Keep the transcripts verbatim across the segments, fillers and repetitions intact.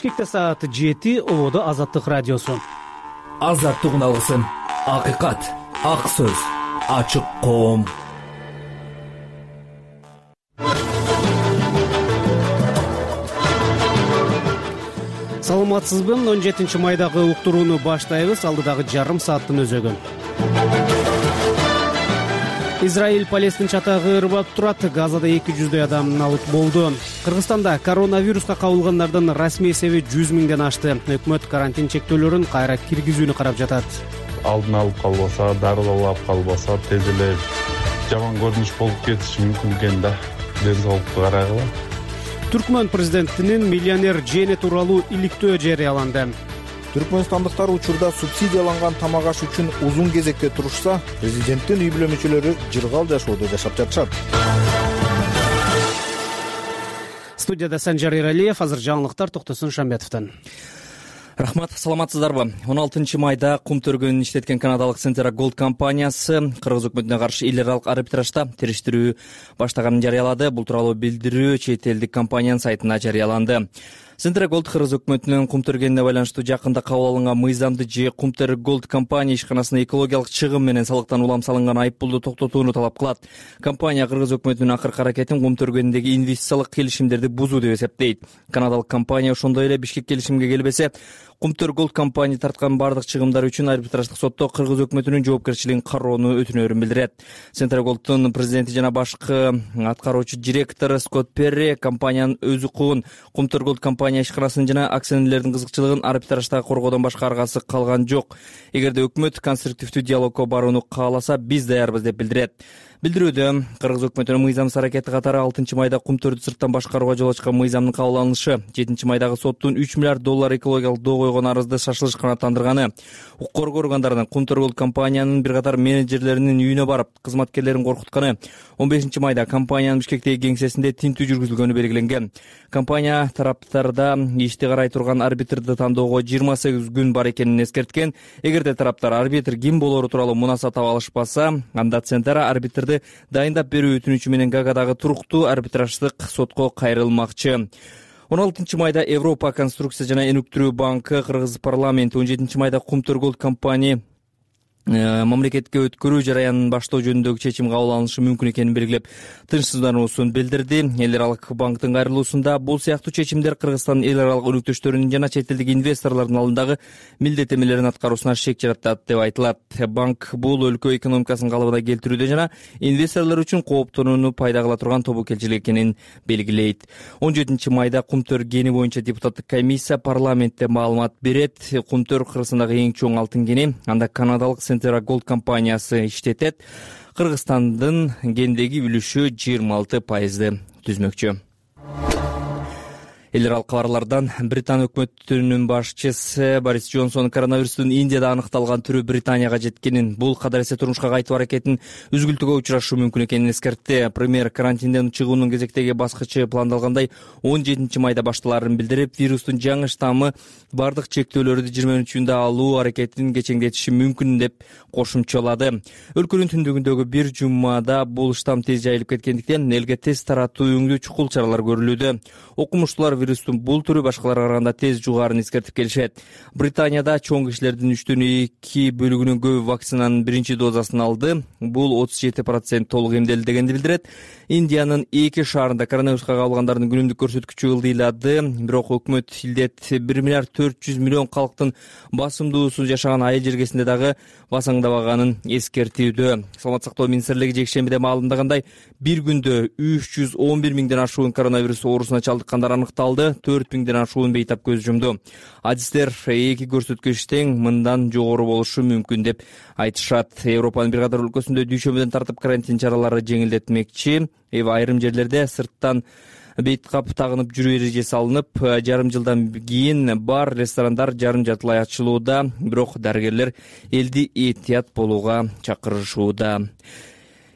Бишкекте саат жети, ободо Азаттык радиосу. Азаттык алгысын, акыйкат, ак сөз, ачык коом. Саламатсызбы? он жетинчи майдагы уктурууну баштайбыз. Алдыдагы жарым сааттын өзөгү. Израиль Палестин чатагы ырбап турат. Газада эки жүздөй адам алып болду. Кыргызстанда коронавируска кабылгандардын расмий эсеби жүз миңден ашты. Өкмөт карантин чектөөлөрүн кайра киргизүүнү карап жатат. Алдын алып калбаса, дарылап калбаса, тез эле жаман көрүнүш болуп кетиши мүмкүн экен да. Ден соолукту карагыла. Түркмөн президентинин миллионер жээни тууралуу иликтөө жарыяланды. Түркмөнстандыктар учурда субсидияланган тамак аш үчүн узун кезекте турушса, президенттин үй бүлө мүчөлөрү жыргал жашоодо жашап жатышат. Студияда Санжар Эралиев, азыр жаңылыктар Токтосун Шамбетовдон. Рахмат, саламатсыздарбы? он алтынчы майда кум төргөнүн иштеткен канадалык Centera Gold компаниясы кыргыз өкмөтүнө каршы эл аралык арбитражда териштирүү баштаганын жарыялады. Бул тууралуу билдирүү чет элдик компаниянын сайтына жарыяланды. Centera Gold кыргыз өкмөтүнүн кум төргөнүнө байланыштуу жакында кабыл алынган мыйзамды же Centera Gold компания ишканасына экологиялык чыгым менен салыктан улам салынган айыппулду токтотууну талап кылат. Компания кыргыз өкмөтүнүн акыркы аракетин кум төргөнүндөгү инвестициялык келишимдерди бузуу деп эсептейт. Канадалык компания ошондой эле Бишкек келишимге келбесе, Centera Gold компания тарткан бардык чыгымдар үчүн арбитраждык сотто кыргыз өкмөтүнүн жоопкерчилигин кароону өтүнөрүн билдирет. Centera Gold'дун президенти жана башкы аткаруучу директору Скотт Перри компаниянын өз укугун Centera Gold компания ишканасын жана акционерлердин кызыкчылыгын арбитражда коргоодон башка аргасы калган жок. Эгерде өкмөт конструктивдүү диалогко барууну кааласа, биз даярбыз деп билдирет. Билдирүүдө кыргыз өкмөтүнүн мыйзамсыз аракети катары алтынчы майда кум төрдү сырттан башкарууга жол ачкан мыйзамдын кабыл алынышы, жетинчи майдагы соттун үч миллиард доллар экологиялык доо койгон арызды шашылыш канааттандырганы, укук коргоо органдарынын Centera Gold компаниянын бир катар менеджерлеринин үйүнө барып кызматкерлерин коркутканы, он бешинчи майда компаниянын Бишкектеги кеңсесинде тинтүү жүргүзүлгөнү белгиленген. Компания тараптарда ишти карай турган арбитрди тандоого жыйырма сегиз күн бар экенин эскерткен. Эгерде тараптар арбитр ким болору тууралуу мунаса таба алышпаса, анда Centera арбитрди дайындап берүү өтүнүчү менен Гаагадагы туруктуу арбитраждык сотко кайрылмакчы. он алтынчы майда Европа конструкция жана өнүктүрүү банкы Кыргыз парламенти он жетинчи майда Centera Gold компания мамлекетке өткөрүү жараянын баштоо жөнүндөгү чечим кабыл алынышы мүмкүн экенин белгилеп, тынчсыздануусун билдирди. Эл аралык банктын кайрылуусунда бул сыяктуу чечимдер Кыргызстандын эл аралык өнөктөштөрүнүн жана чет элдик инвесторлордун алдындагы милдеттенмелерин аткаруусуна шек жаратат деп айтылат. Банк бул өлкө экономикасын калыбына келтирүүдө жана инвесторлор үчүн кооптонууну пайда кыла турган тобокелчилик экенин белгилейт. он жетинчи майда Кумтөр кени боюнча депутаттык комиссия парламентте маалымат берет. Кумтөр Кыргызстандагы эң чоң алтын кени, анда канадалык Centera Gold компаниясы иштетет. Кыргызстандын кендеги үлүшү жыйырма алты пайызды түзмөкчү. Эл аралык кабарлардан Британ өкмөтүнүн башчысы Борис Джонсон коронавирустун Индияда аныкталган түрү Британияга жеткенин, бул кадар эсе турмушка кайтуу аракетин үзгүлтүүгө учурашуу мүмкүн экенин эскертти. Премьер карантинден чыгуунун кезектеги баскычы пландалгандай он жетинчи майда башталарын билдирип, вирустун жаңы штаммы бардык чектөөлөрдү жыйырма үчүндө алуу аракетин кечеңдетиши мүмкүн деп кошумчалады. Өлкөнүн түндүгүндөгү бир жумада бул штамм тез жайылып кеткендиктен элге тест таратуу өңдүү чукул чаралар көрүлүүдө. Окумуштуулар вирустун бул түрү башкаларга караганда тез жугаарын эскертип келишет. Британияда чоң кишилердин үчтөн эки бөлүгүнөн көбү вакцинанын биринчи дозасын алды. Бул отуз жети процент толук эмделди дегенди билдирет. Индиянын эки шаарында коронавируска кабылгандардын күнүмдүк көрсөткүчү ылдыйлады. Бирок өкмөт илдет бир миллиард төрт жүз миллион калктын басымдуусуз жашаган айыл жергесинде дагы басаңдабаганын эскертүүдө. Саламаттык сактоо министрлиги жекшембиде маалымдагандай, бир күндө үч жүз он бир миңден ашуун коронавирус оорусуна чалдыккандар аныкталды. төрт миңден ашуун бейтап көз жумду. Адистер эки көрсөткүч тең мындан жогору болушу мүмкүн деп айтышат. Европанын бир катар өлкөсүндө дүйшөмбүдөн тартып карантин чаралары жеңилдетилмекчи. Айрым жерлерде сырттан бейт кап тагынып жүрүү эрежеси алынып, жарым жылдан кийин бар, ресторандар жарым жартылай ачылууда. Бирок дарыгерлер элди этият болууга чакырышууда.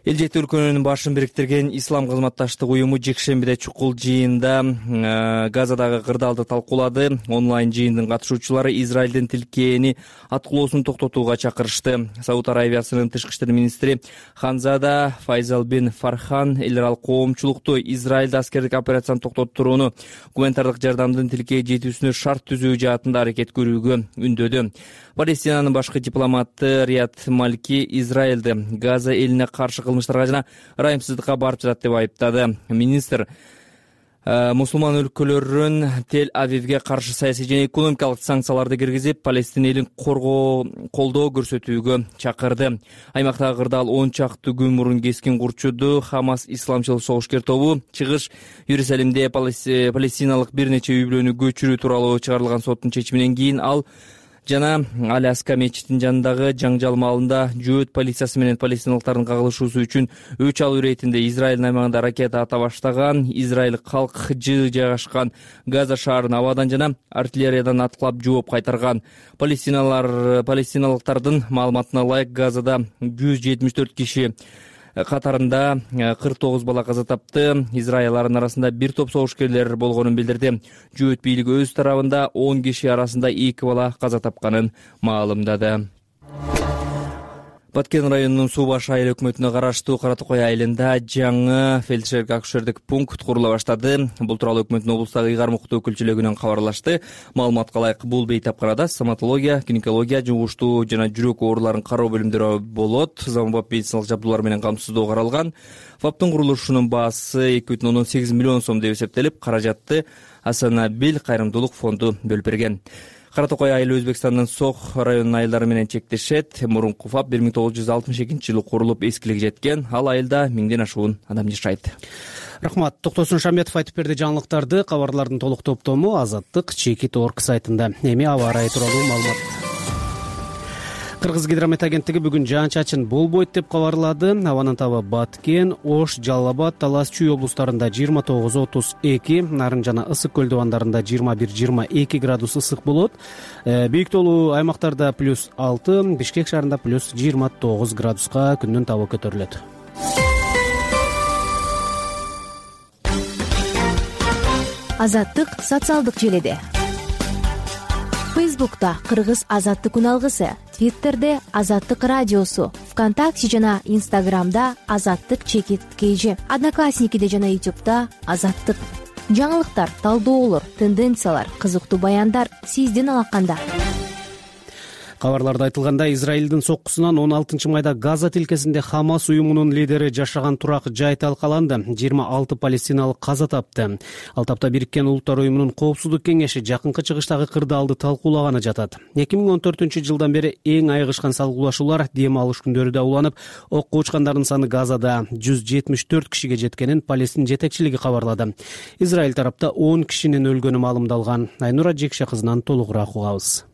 эл жети өлкөнүн башын бириктирген ислам кызматташтык уюму жекшембиде чукул жыйында Газадагы кырдаалды талкуулады. Онлайн жыйындын катышуучулары Израилдин тилкээни аткылоосун токтотууга чакырышты. Сауд Аравиясынын тышкы иштер министри Ханзада Файзал бин Фархан эл аралык коомчулукту Израилде аскердик операцияны токтотурууну, гуманитардык жардамдын тилкээ жетүүсүнө шарт түзүү жаатында аракет көрүүгө үндөдү. Палестинанын башкы дипломаты Рият Малки Израилди Газа элине каршы кылмыштарга жана ырайымсыздыкка барып жатат деп айыптады. Министр мусулман өлкөлөрүн Тель-Авивге каршы саясий жана экономикалык санкцияларды киргизип, Палестина элин коргоо колдоо көрсөтүүгө чакырды. Аймактагы кырдаал он чакты күн мурун кескин курчуду. Хамас исламчыл согушкер тобу чыгыш Иерусалимде палестиналык бир нече үй бүлөнү көчүрүү тууралуу чыгарылган соттун чечиминен кийин ал жана Аляска мечитинин жанындагы жаңжал маалында жөөт полициясы менен палестиналыктардын кагылышуусу үчүн өч алуу иретинде Израилдин аймагында ракета ата баштаган. Израиль калк жыы жайгашкан Газа шаарын абадан жана артиллериядан аткылап жооп кайтарган. Палестиналар палестиналыктардын маалыматына ылайык Газада жүз жетимиш төрт киши катарында кырк тогуз бала каза тапты. Израилдин арасында бир топ согушкерлер болгонун билдирди. Жөөт бийлиги өз тарабында он киши арасында эки бала каза тапканын маалымдады. Баткен районунун Суу баш айыл өкмөтүнө караштуу Кара Токой айылында жаңы фельдшерлик акушердик пункт курула баштады. Бул тууралуу өкмөттүн облустагы ыйгарым укуктуу өкүлчүлүгүнөн кабарлашты. Маалыматка ылайык, бул бейтапканада стоматология, гинекология, жугуштуу жана жүрөк ооруларын кароо бөлүмдөрү болот. Заманбап медициналык жабдуулар менен камсыздоо каралган. ФАПтын курулушунун баасы эки бүтүн ондон сегиз миллион сом деп эсептелип, каражатты Асанабил кайрымдуулук фонду бөлүп берген. Кара Токой айылы Өзбекстандын Сох районунун айылдары менен чектешет. Мурунку ФАП бир миң тогуз жүз алтымыш экинчи жылы курулуп эскилиги жеткен. Ал айылда миңден ашуун адам жашайт. Рахмат. Токтосун Шаметов айтып берди жаңылыктарды. Кабарлардын толук топтому Азаттык Чекит точка орг сайтында. Эми аба ырайы тууралуу маалымат. Кыргыз гидромет агенттиги бүгүн жаан-чачын болбойт деп кабарлады. Абанын табы Баткен, Ош, Жалал Абад, Талас, Чүй облустарында жыйырма тогуз отуз эки, Нарын жана Ысык көл дубандарында жыйырма бир жыйырма эки градус ысык болот. Бийик тоолуу аймактарда плюс алты, Бишкек шаарында плюс жыйырма тогуз градуска күндүн табы көтөрүлөт. Азаттык социалдык желиде. Фейсбукта Кыргыз Азаттык күн алгысы, Твиттерде Азаттык радиосу, ВКонтакте жана Инстаграмда Азаттык Чекит кейжи, Одноклассникиде жана Ютубта Азаттык. Жаңылыктар, талдоолор, тенденциялар, кызыктуу баяндар сиздин алаканда. Кабарларда айтылгандай, Израилдин соккусунан он алтынчы майда Газа тилкесинде Хамас уюмунун лидери жашаган турак жай талкаланды. жыйырма алты палестиналык каза тапты. Ал тапта Бириккен Улуттар уюмунун Коопсуздук кеңеши жакынкы чыгыштагы кырдаалды талкуулаганы жатат. эки миң он төртүнчү жылдан бери эң айыгышкан салгылашуулар дем алыш күндөрү уланып, окко учкандардын саны Газада жүз жетимиш төрт кишиге жеткенин Палестин жетекчилиги кабарлады. Израиль тарапта он кишинин өлгөнү маалымдалган. Айнура Жекше кызынан толугураак угабыз.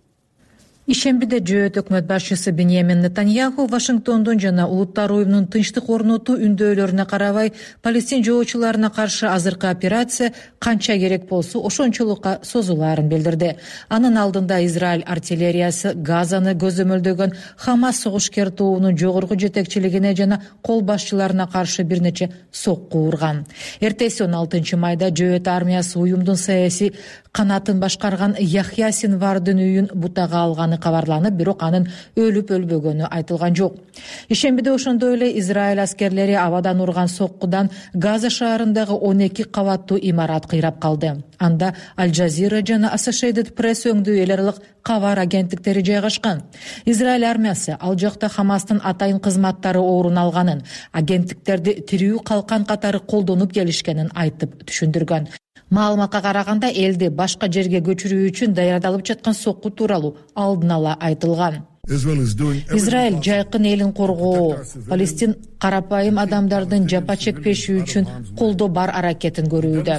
Ишембиде жөөт өкмөт башчысы Беньямин Нетаньяху Вашингтондун жана Улуттар уюмунун тынчтык орнотуу үндөөлөрүнө карабай, Палестин жоочуларына каршы азыркы операция канча керек болсо ошончолукка созулаарын билдирди. Анын алдында Израиль артиллериясы Газаны көзөмөлдөгөн Хамас согушкер тобунун жогорку жетекчилигине жана кол башчыларына каршы бир нече сокку урган. Эртеси он алтынчы майда жөөт армиясы уюмдун саясий канатын башкарган Яхья Синвардын үйүн бутага алганы кабарланып, бирок анын өлүп өлбөгөнү айтылган жок. Ишембиде ошондой эле Израиль аскерлери абадан урган соккудан Газа шаарындагы он эки кабаттуу имарат кыйрап калды. Анда Аль-Джазира жана Associated Press өңдүү эл аралык кабар агенттиктери жайгашкан. Израиль армиясы ал жакта Хамастын атайын кызматтары орун алганын, агенттиктерди тирүү калкан катары колдонуп келишкенин айтып түшүндүргөн. Маалыматка караганда, элди башка жерге көчүрүү үчүн даярдалып жаткан сокку тууралуу алдын ала айтылган. Израиль жайкын элин коргоо, Палестин карапайым адамдардын жапа чекпеши үчүн колдоо бар аракетин көрүүдө.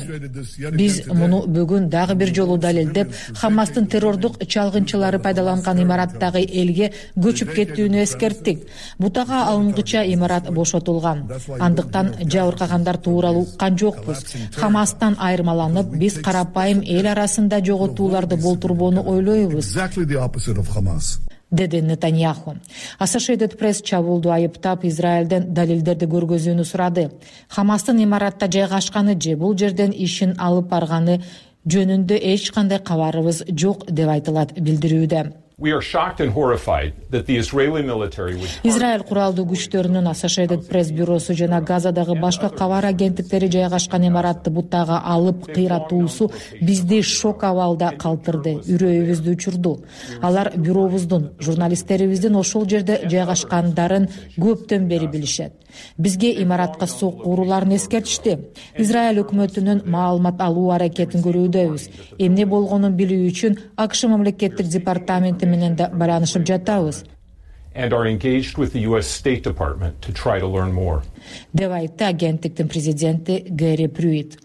Биз муну бүгүн дагы бир жолу далилдеп, Хамастын террордук чалгынчылары пайдаланган имараттагы элге көчүп кетүүнү эскерттик. Бутага алынгыча имарат бошотулган. Андыктан жабыркагандар тууралуу уккан жокпуз. Хамастан айырмаланып, биз карапайым эл арасында жоготууларды болтурбоону ойлойбуз. деди Нетаньяху. Associated Press чабуулду айыптап, Израилден далилдерди көргөзүүнү сурады. Хамастын имаратта жайгашканы же бул жерден ишин алып барганы жөнүндө эч кандай кабарыбыз жок деп айтылат билдирүүдө. Израиль куралдуу күчтөрүнүн Associated Press бюросу жана Газадагы башка кабар агенттиктери жайгашкан имаратты буттага алып кыйратуусу бизди шок абалда калтырды, үрөйүбүздү учурду. Алар бюробуздун, журналисттерибиздин ошол жерде жайгашкандарын көптөн бери билишет. Бизге имаратка сокку урууларын эскертишти. Израиль өкмөтүнүн маалымат алуу аракетин көрүүдөбүз. Эмне болгонун билүү үчүн АКШ мамлекеттик департаменти менен да байланышып жатабыз. Деп айтты агенттиктин президенти Гэри Прюит.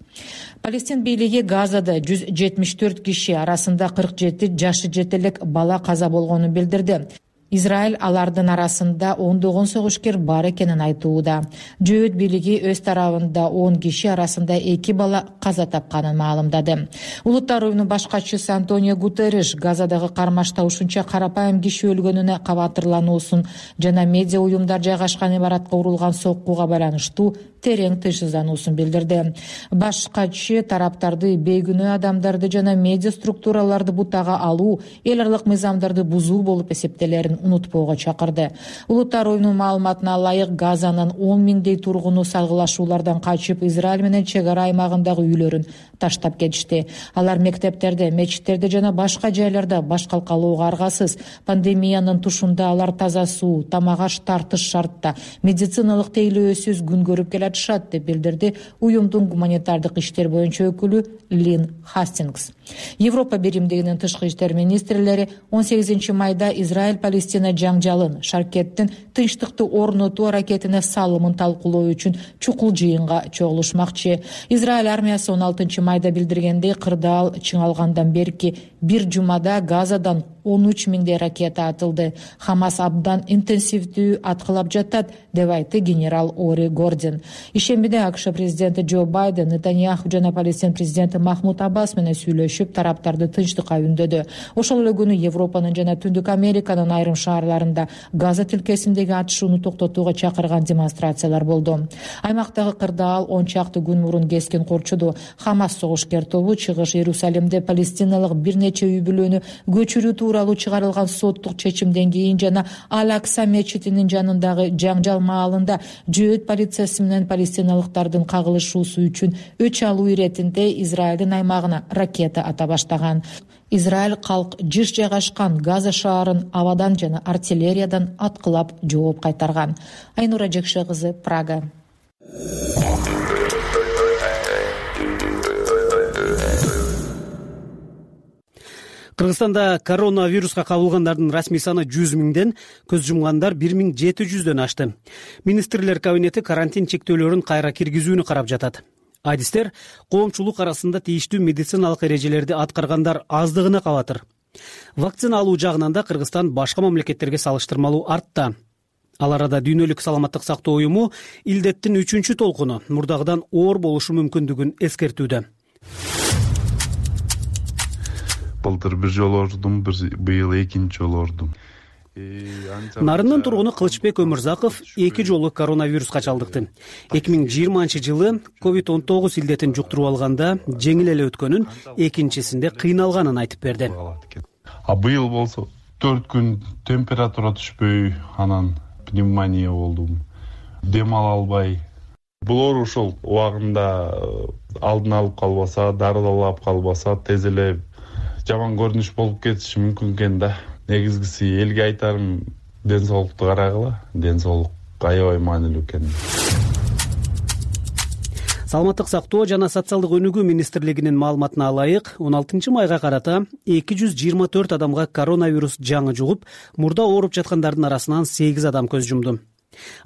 Палестин бийлиги Газада жүз жетимиш төрт киши, арасында кырк жети жашы жете элек бала каза болгонун билдирди. Израиль алардын арасында ондогон согушкер бар экенин айтууда. Жөөт бийлиги өз тарабында он киши, арасында эки бала каза тапканын маалымдады. Улуттар уюмунун баш катчысы Антонио Гутерриш Газадагы кармашта ушунча карапайым киши өлгөнүнө кабатырлануусун жана медиа уюмдар жайгашкан имаратка урулган соккуга байланыштуу терең тынчсыздануусун билдирди. Баш катчы тараптарды бейгүнөө адамдарды жана медиа структураларды бутага алуу, эл аралык мыйзамдарды бузуу болуп эсептелерин унутпоого чакырды. Улуттар уюмунун маалыматына ылайык, Газанын он миңдей тургуну салгылашуулардан качып, Израиль менен чек ара аймагындагы үйлөрүн таштап кетишти. Алар мектептерде, мечиттерде жана башка жайларда баш калкалоого аргасыз. Пандемиянын тушунда алар таза суу, тамак аш тартыш шартта, медициналык тейлөөсүз күн көрүп келатышат деп билдирди уюмдун гуманитардык иштер боюнча өкүлү Лин Хастингс. Европа биримдигинин тышкы иштер министрлери он сегизинчи майда Израиль Палестина жаңжалын, шаркеттин тынчтыкты орнотуу аракетине салымын талкуулоо үчүн чукул жыйынга чогулушмакчы. Израиль армиясы он алтынчы майда билдиргендей, кырдаал чыңалгандан берки бир жумада Газадан он үч миңдей ракета атылды. Хамас абдан интенсивдүү аткылап жатат, деп айтты генерал Ори Гордин. Ишембиде АКШ президенти Джо Байден, Нетаньяху жана Палестин президенти Махмуд Аббас менен сүйлөшүп, тараптарды тынчтыкка үндөдү. Ошол эле күнү Европанын жана Түндүк Американын айрым шаарларында Газа тилкесиндеги атышууну токтотууга чакырган демонстрациялар болду. Аймактагы кырдаал он чакты күн мурун кескин корчуду. Хамас согушкер тобу Чыгыш Иерусалимде палестиналык бир нече үй бүлөнү көчүрүү тууралуу чыгарылган соттук чечимден кийин жана Ал-Акса мечитинин жанындагы жаңжал маалында жөөт полициясы менен палестиналыктардын кагылышуусу үчүн өч алуу иретинде Израилдин аймагына ракета ата баштаган. Израиль калк жыш жайгашкан Газа шаарын абадан жана артиллериядан аткылап жооп кайтарган. Айнура Жекше кызы, Прага. Кыргызстанда коронавируска кабылгандардын расмий саны жүз миңден, көз жумгандар бир миң жети жүздөн ашты. Министрлер кабинети карантин чектөөлөрүн кайра киргизүүнү карап жатат. Адистер коомчулук арасында тийиштүү медициналык эрежелерди аткаргандар аздыгына кабатыр. Вакцина алуу жагынан да Кыргызстан башка мамлекеттерге салыштырмалуу артта. Ал арада Дүйнөлүк саламаттык сактоо уюму илдеттин үчүнчү толкуну мурдагыдан оор болушу мүмкүндүгүн эскертүүдө. Былтыр бир жолу ордум, быйыл экинчи жолу ордум. Нарындын тургуну Кылычбек Өмүрзаков эки жолу коронавируска чалдыкты. эки миң жыйырманчы жылы ковид он тогуз илдетин жуктуруп алганда жеңил эле өткөнүн, экинчисинде кыйналганын айтып берди. А быйыл болсо төрт күн температура түшпөй, анан пневмония болдум. Дем ала албай. Бул оору ошол убагында алдын алып калбаса, дарылап калбаса, тез эле жаман көрүнүш болуп кетиши мүмкүн экен да. Негизгиси элге айтарым, ден соолукту карагыла, ден соолук аябай маанилүү экен. Саламаттык сактоо жана социалдык өнүгүү министрлигинин маалыматына ылайык, он алтынчы майга карата эки жүз жыйырма төрт адамга коронавирус жаңы жугуп, мурда ооруп жаткандардын арасынан сегиз адам көз жумду.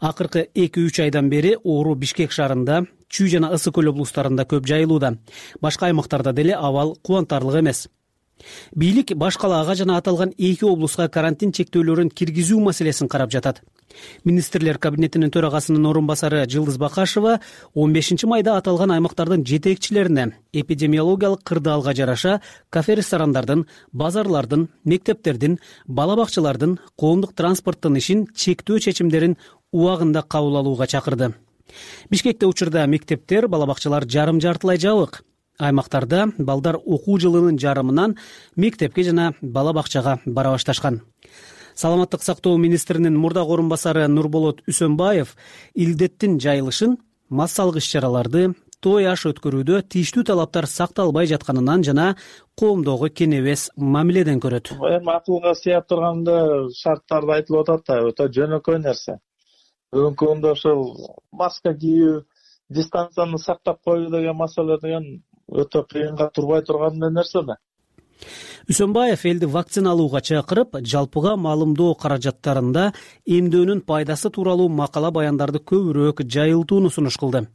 Акыркы эки үч айдан бери оору Бишкек шаарында, Чүй жана Ысык көл облустарында көп жайылууда. Башка аймактарда деле абал кубантарлык эмес. бийлик баш калаага жана аталган эки облуска карантин чектөөлөрүн киргизүү маселесин карап жатат. Министрлер кабинетинин төрагасынын орун басары Жылдыз Бакашева он бешинчи майда аталган аймактардын жетекчилерине эпидемиологиялык кырдаалга жараша кафе ресторандардын, базарлардын, мектептердин, бала бакчалардын, коомдук транспорттун ишин чектөө чечимдерин убагында кабыл алууга чакырды. Бишкекте учурда мектептер, бала бакчалар жарым-жартылай жабык. Аймактарда балдар окуу жылынын жарымынан мектепке жана бала бакчага бара башташкан. Саламаттык сактоо министринин мурдагы орун басары Нурболот Үсөнбаев илдеттин жайылышын, массалык иш-чараларды, той аш өткөрүүдө тийиштүү талаптар сакталбай жатканынан жана коомдогу кенебес мамиледен көрөт. Эми акылга сыяп турганда шарттарды айтылып атат да, өтө жөнөкөй нерсе. Бүгүнкү күндө ошол маска кийүү, дистанцияны сактап коюу деген маселе деген өтө кыйынга турбай турган нерсе да. Үсөнбаев элди вакциналууга чакырып, жалпыга маалымдоо каражаттарында эмдөөнүн пайдасы тууралуу макала баяндарды көбүрөөк жайылтууну сунуш кылды.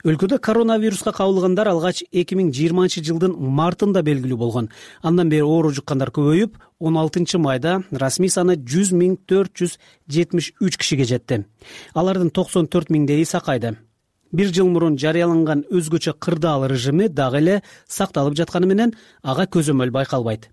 Өлкөдө коронавируска кабылгандар алгач эки миң жыйырманчы жылдын мартында белгилүү болгон. Андан бери оору жуккандар көбөйүп, он алтынчы майда расмий саны жүз миң төрт жүз жетимиш үч кишиге жетти. Алардын токсон төрт миңдейи сакайды. Бир жыл мурун жарыяланган өзгөчө кырдаал режими дагы эле сакталып жатканы менен ага көзөмөл байкалбайт.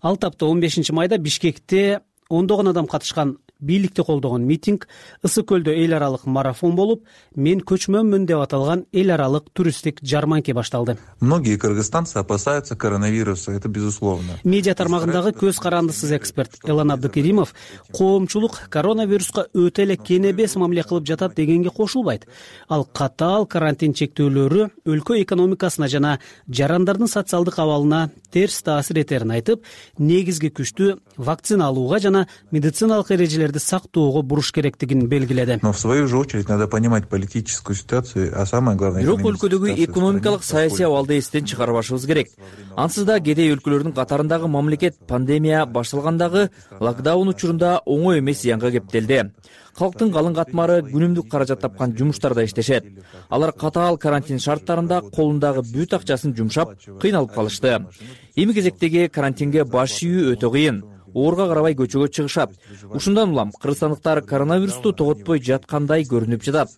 Ал тапта он бешинчи майда Бишкекте ондогон адам катышкан бийликти колдогон митинг, Ысык көлдө эл аралык марафон болуп, мен көчмөнмүн деп аталган эл аралык туристтик жарманке башталды. Многие кыргызстанцы опасаются коронавируса, это безусловно. Медиа тармагындагы көз карандысыз эксперт Элан Абдыкеримов коомчулук коронавируска өтө эле кенебес мамиле кылып жатат дегенге кошулбайт. Ал катаал карантин чектөөлөрү өлкө экономикасына жана жарандардын социалдык абалына терс таасир этерин айтып, негизги күчтү вакцина алууга жана медициналык эрежелерди сактоого буруш керектигин белгиледи. Но в свою же очередь надо понимать политическую ситуацию, а самое главное бирок өлкөдөгү экономикалык саясий абалды эстен чыгарбашыбыз керек. Ансыз да кедей өлкөлөрдүн катарындагы мамлекет пандемия башталгандагы локдаун учурунда оңой эмес зыянга кептелди. Калктын калың катмары күнүмдүк каражат тапкан жумуштарда иштешет. Алар катаал карантин шарттарында колундагы бүт акчасын жумшап, кыйналып калышты. Эми кезектеги карантинге баш ийүү өтө кыйын. Оорга карабай көчөгө чыгышат. Ушундан улам кыргызстандыктар коронавирусту тоготпой жаткандай көрүнүп жатат.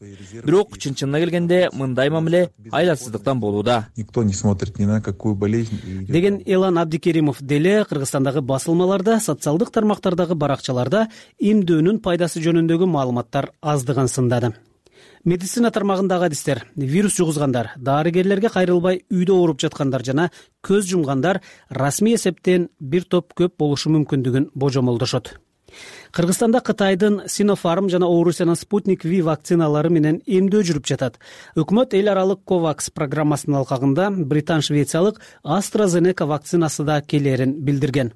Бирок чын-чынына келгенде мындай мамиле айласыздыктан болууда. Никто не смотрит ни на какую болезнь. Деген Элан Абдикеримов деле Кыргызстандагы басылмаларда, социалдык тармактардагы баракчаларда эмдөөнүн пайдасы жөнүндөгү маалыматтар аздыгын сындады. Медицина тармагындагы адистер вирус жугузгандар, дарыгерлерге кайрылбай үйдө ооруп жаткандар жана көз жумгандар расмий эсептен бир топ көп болушу мүмкүндүгүн божомолдошот. Кыргызстанда Кытайдын Sinopharm жана Орусиянын Sputnik V вакциналары менен эмдөө жүрүп жатат. Өкмөт эл аралык COVAX программасынын алкагында британ-швециялык AstraZeneca вакцинасы да келерин билдирген.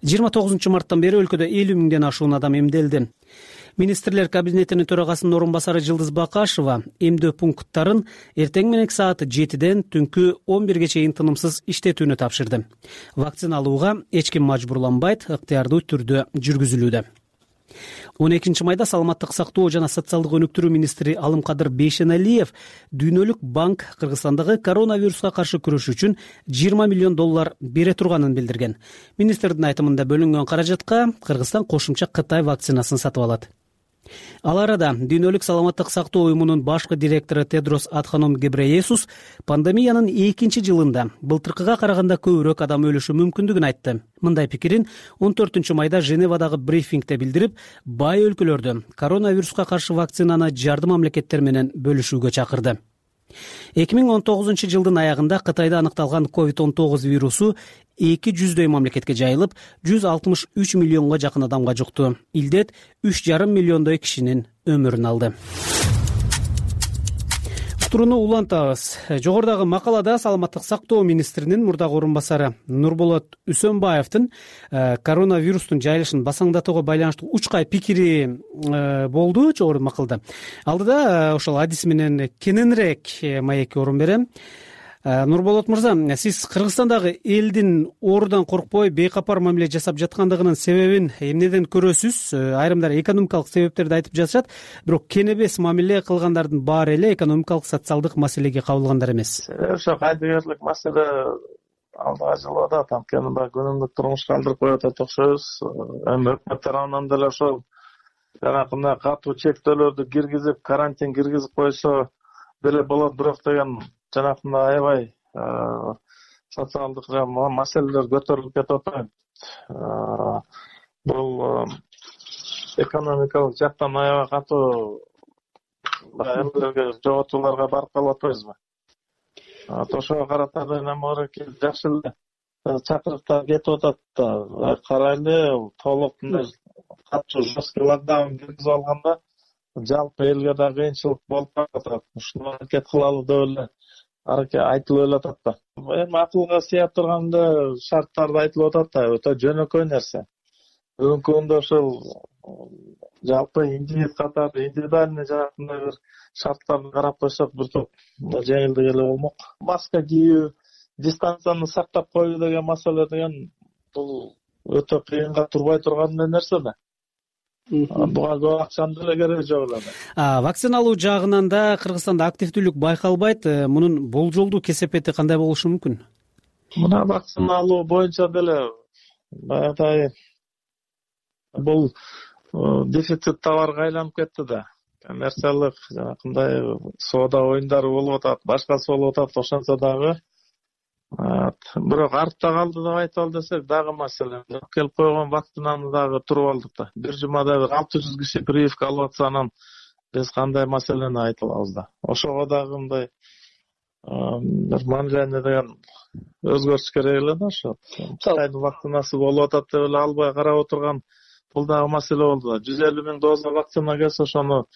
жыйырма тогузунчу марттан бери өлкөдө элүү миңден ашуун адам эмделди. Министрлер кабинетинин төрагасынын орун басары Жылдыз Бакашева эмдөө пункттарын эртең менен саат жетиден түнкү он бирге чейин тынымсыз иштетүүнү тапшырды. Вакцина алууга эч ким мажбурланбайт, ыктыярдуу түрдө жүргүзүлүүдө. он экинчи майда саламаттык сактоо жана социалдык өнүктүрүү министри Алымкадыр Бейшеналиев Дүйнөлүк банк Кыргызстандагы коронавируска каршы күрөш үчүн жыйырма миллион доллар бере турганын билдирген. Министрдин айтымында бөлүнгөн каражатка Кыргызстан кошумча Кытай вакцинасын сатып алат. Ал арада Дүйнөлүк саламаттык сактоо уюмунун башкы директору Тедрос Адханом Гебрейесус пандемиянын экинчи жылында былтыркыга караганда көбүрөөк адам өлүшү мүмкүндүгүн айтты. Мындай пикирин он төртүнчү майда Женевадагы брифингде билдирип, бай өлкөлөрдө коронавируска каршы вакцинаны жардым мамлекеттер менен бөлүшүүгө чакырды. эки миң он тогузунчу жылдын аягында Кытайда аныкталган ковид он тогуз вирусу эки жүздөй мамлекетке жайылып, жүз алтымыш үч миллионго жакын адамга жукту. Илдет үч жарым миллиондой кишинин өмүрүн алды. Турууну улантабыз. Жогорудагы макалада саламаттык сактоо министринин мурдагы орун басары Нурболот Үсөнбаевдин коронавирустун жайылышын басаңдатууга байланыштуу учкай пикири болду жогору макалда. Алдыда ошол адис менен кененирээк маекке орун берем. Нурболот мырза, сиз Кыргызстандагы элдин оорудан коркпой бейкапар мамиле жасап жаткандыгынын себебин эмнеден көрөсүз? Айрымдар экономикалык себептерди айтып жатышат, бирок кенебес мамиле кылгандардын баары эле экономикалык социалдык маселеге кабылгандар эмес. Ошо кайдыгерлик маселе алдыга жылып атат, анткени баягы күнүмдүк турмушка алдырып коюп атат окшойбуз. Эми өкмөт тарабынан деле ошол жанагындай катуу чектөөлөрдү киргизип, карантин киргизип койсо деле болот, бирок деген жанагындай аябай социалдык маселелер көтөрүлүп кетип атат. Бул экономикалык жактан аябай катуу эмелерге, жоготууларга барып калып атпайбызбы? Ошого карата эме бар экен, жакшы эле чакырыктар кетип атат да. Карайлы, толук мындай катуу жесткий локдаун киргизип алганда жалпы элге да кыйынчылык болуп калат. Ушуну аракет кылалы деп эле аракет айтылып эле атат да. Эми акылга сыяп турганда шарттарды айтылып атат да, өтө жөнөкөй нерсе. Бүгүнкү күндө ошол жалпы индивид катары индивидуальный жанагындай бир шарттарды карап койсок бир топ жеңилдик эле болмок. Маска кийүү, дистанцияны сактап коюу деген маселе деген бул өтө кыйынга турбай турган нерсе да. Буга көп акчанын деле кереги жок эле. Вакциналуу жагынан да Кыргызстанда активдүүлүк байкалбайт. Мунун болжолдуу кесепети кандай болушу мүмкүн? Мына вакциналуу боюнча деле баягыдай бул дефицит товарга айланып кетти да. Коммерциялык жанагындай соода оюндары болуп атат, башкасы болуп атат, ошончо дагы. Бирок артта калды деп айталы десек дагы маселе. Келип койгон вакцинаны дагы туруп алдык да. Бир жумада бир алты жүз киши прививка алып атса, анан биз кандай маселени айта алабыз да. Ошого дагы мындай бир мамилени деген өзгөртүш керек эле да. Ошо Кытайдын вакцинасы болуп атат деп эле албай карап отурган бул дагы маселе болду да. жүз элүү миң доза вакцина келсе, ошону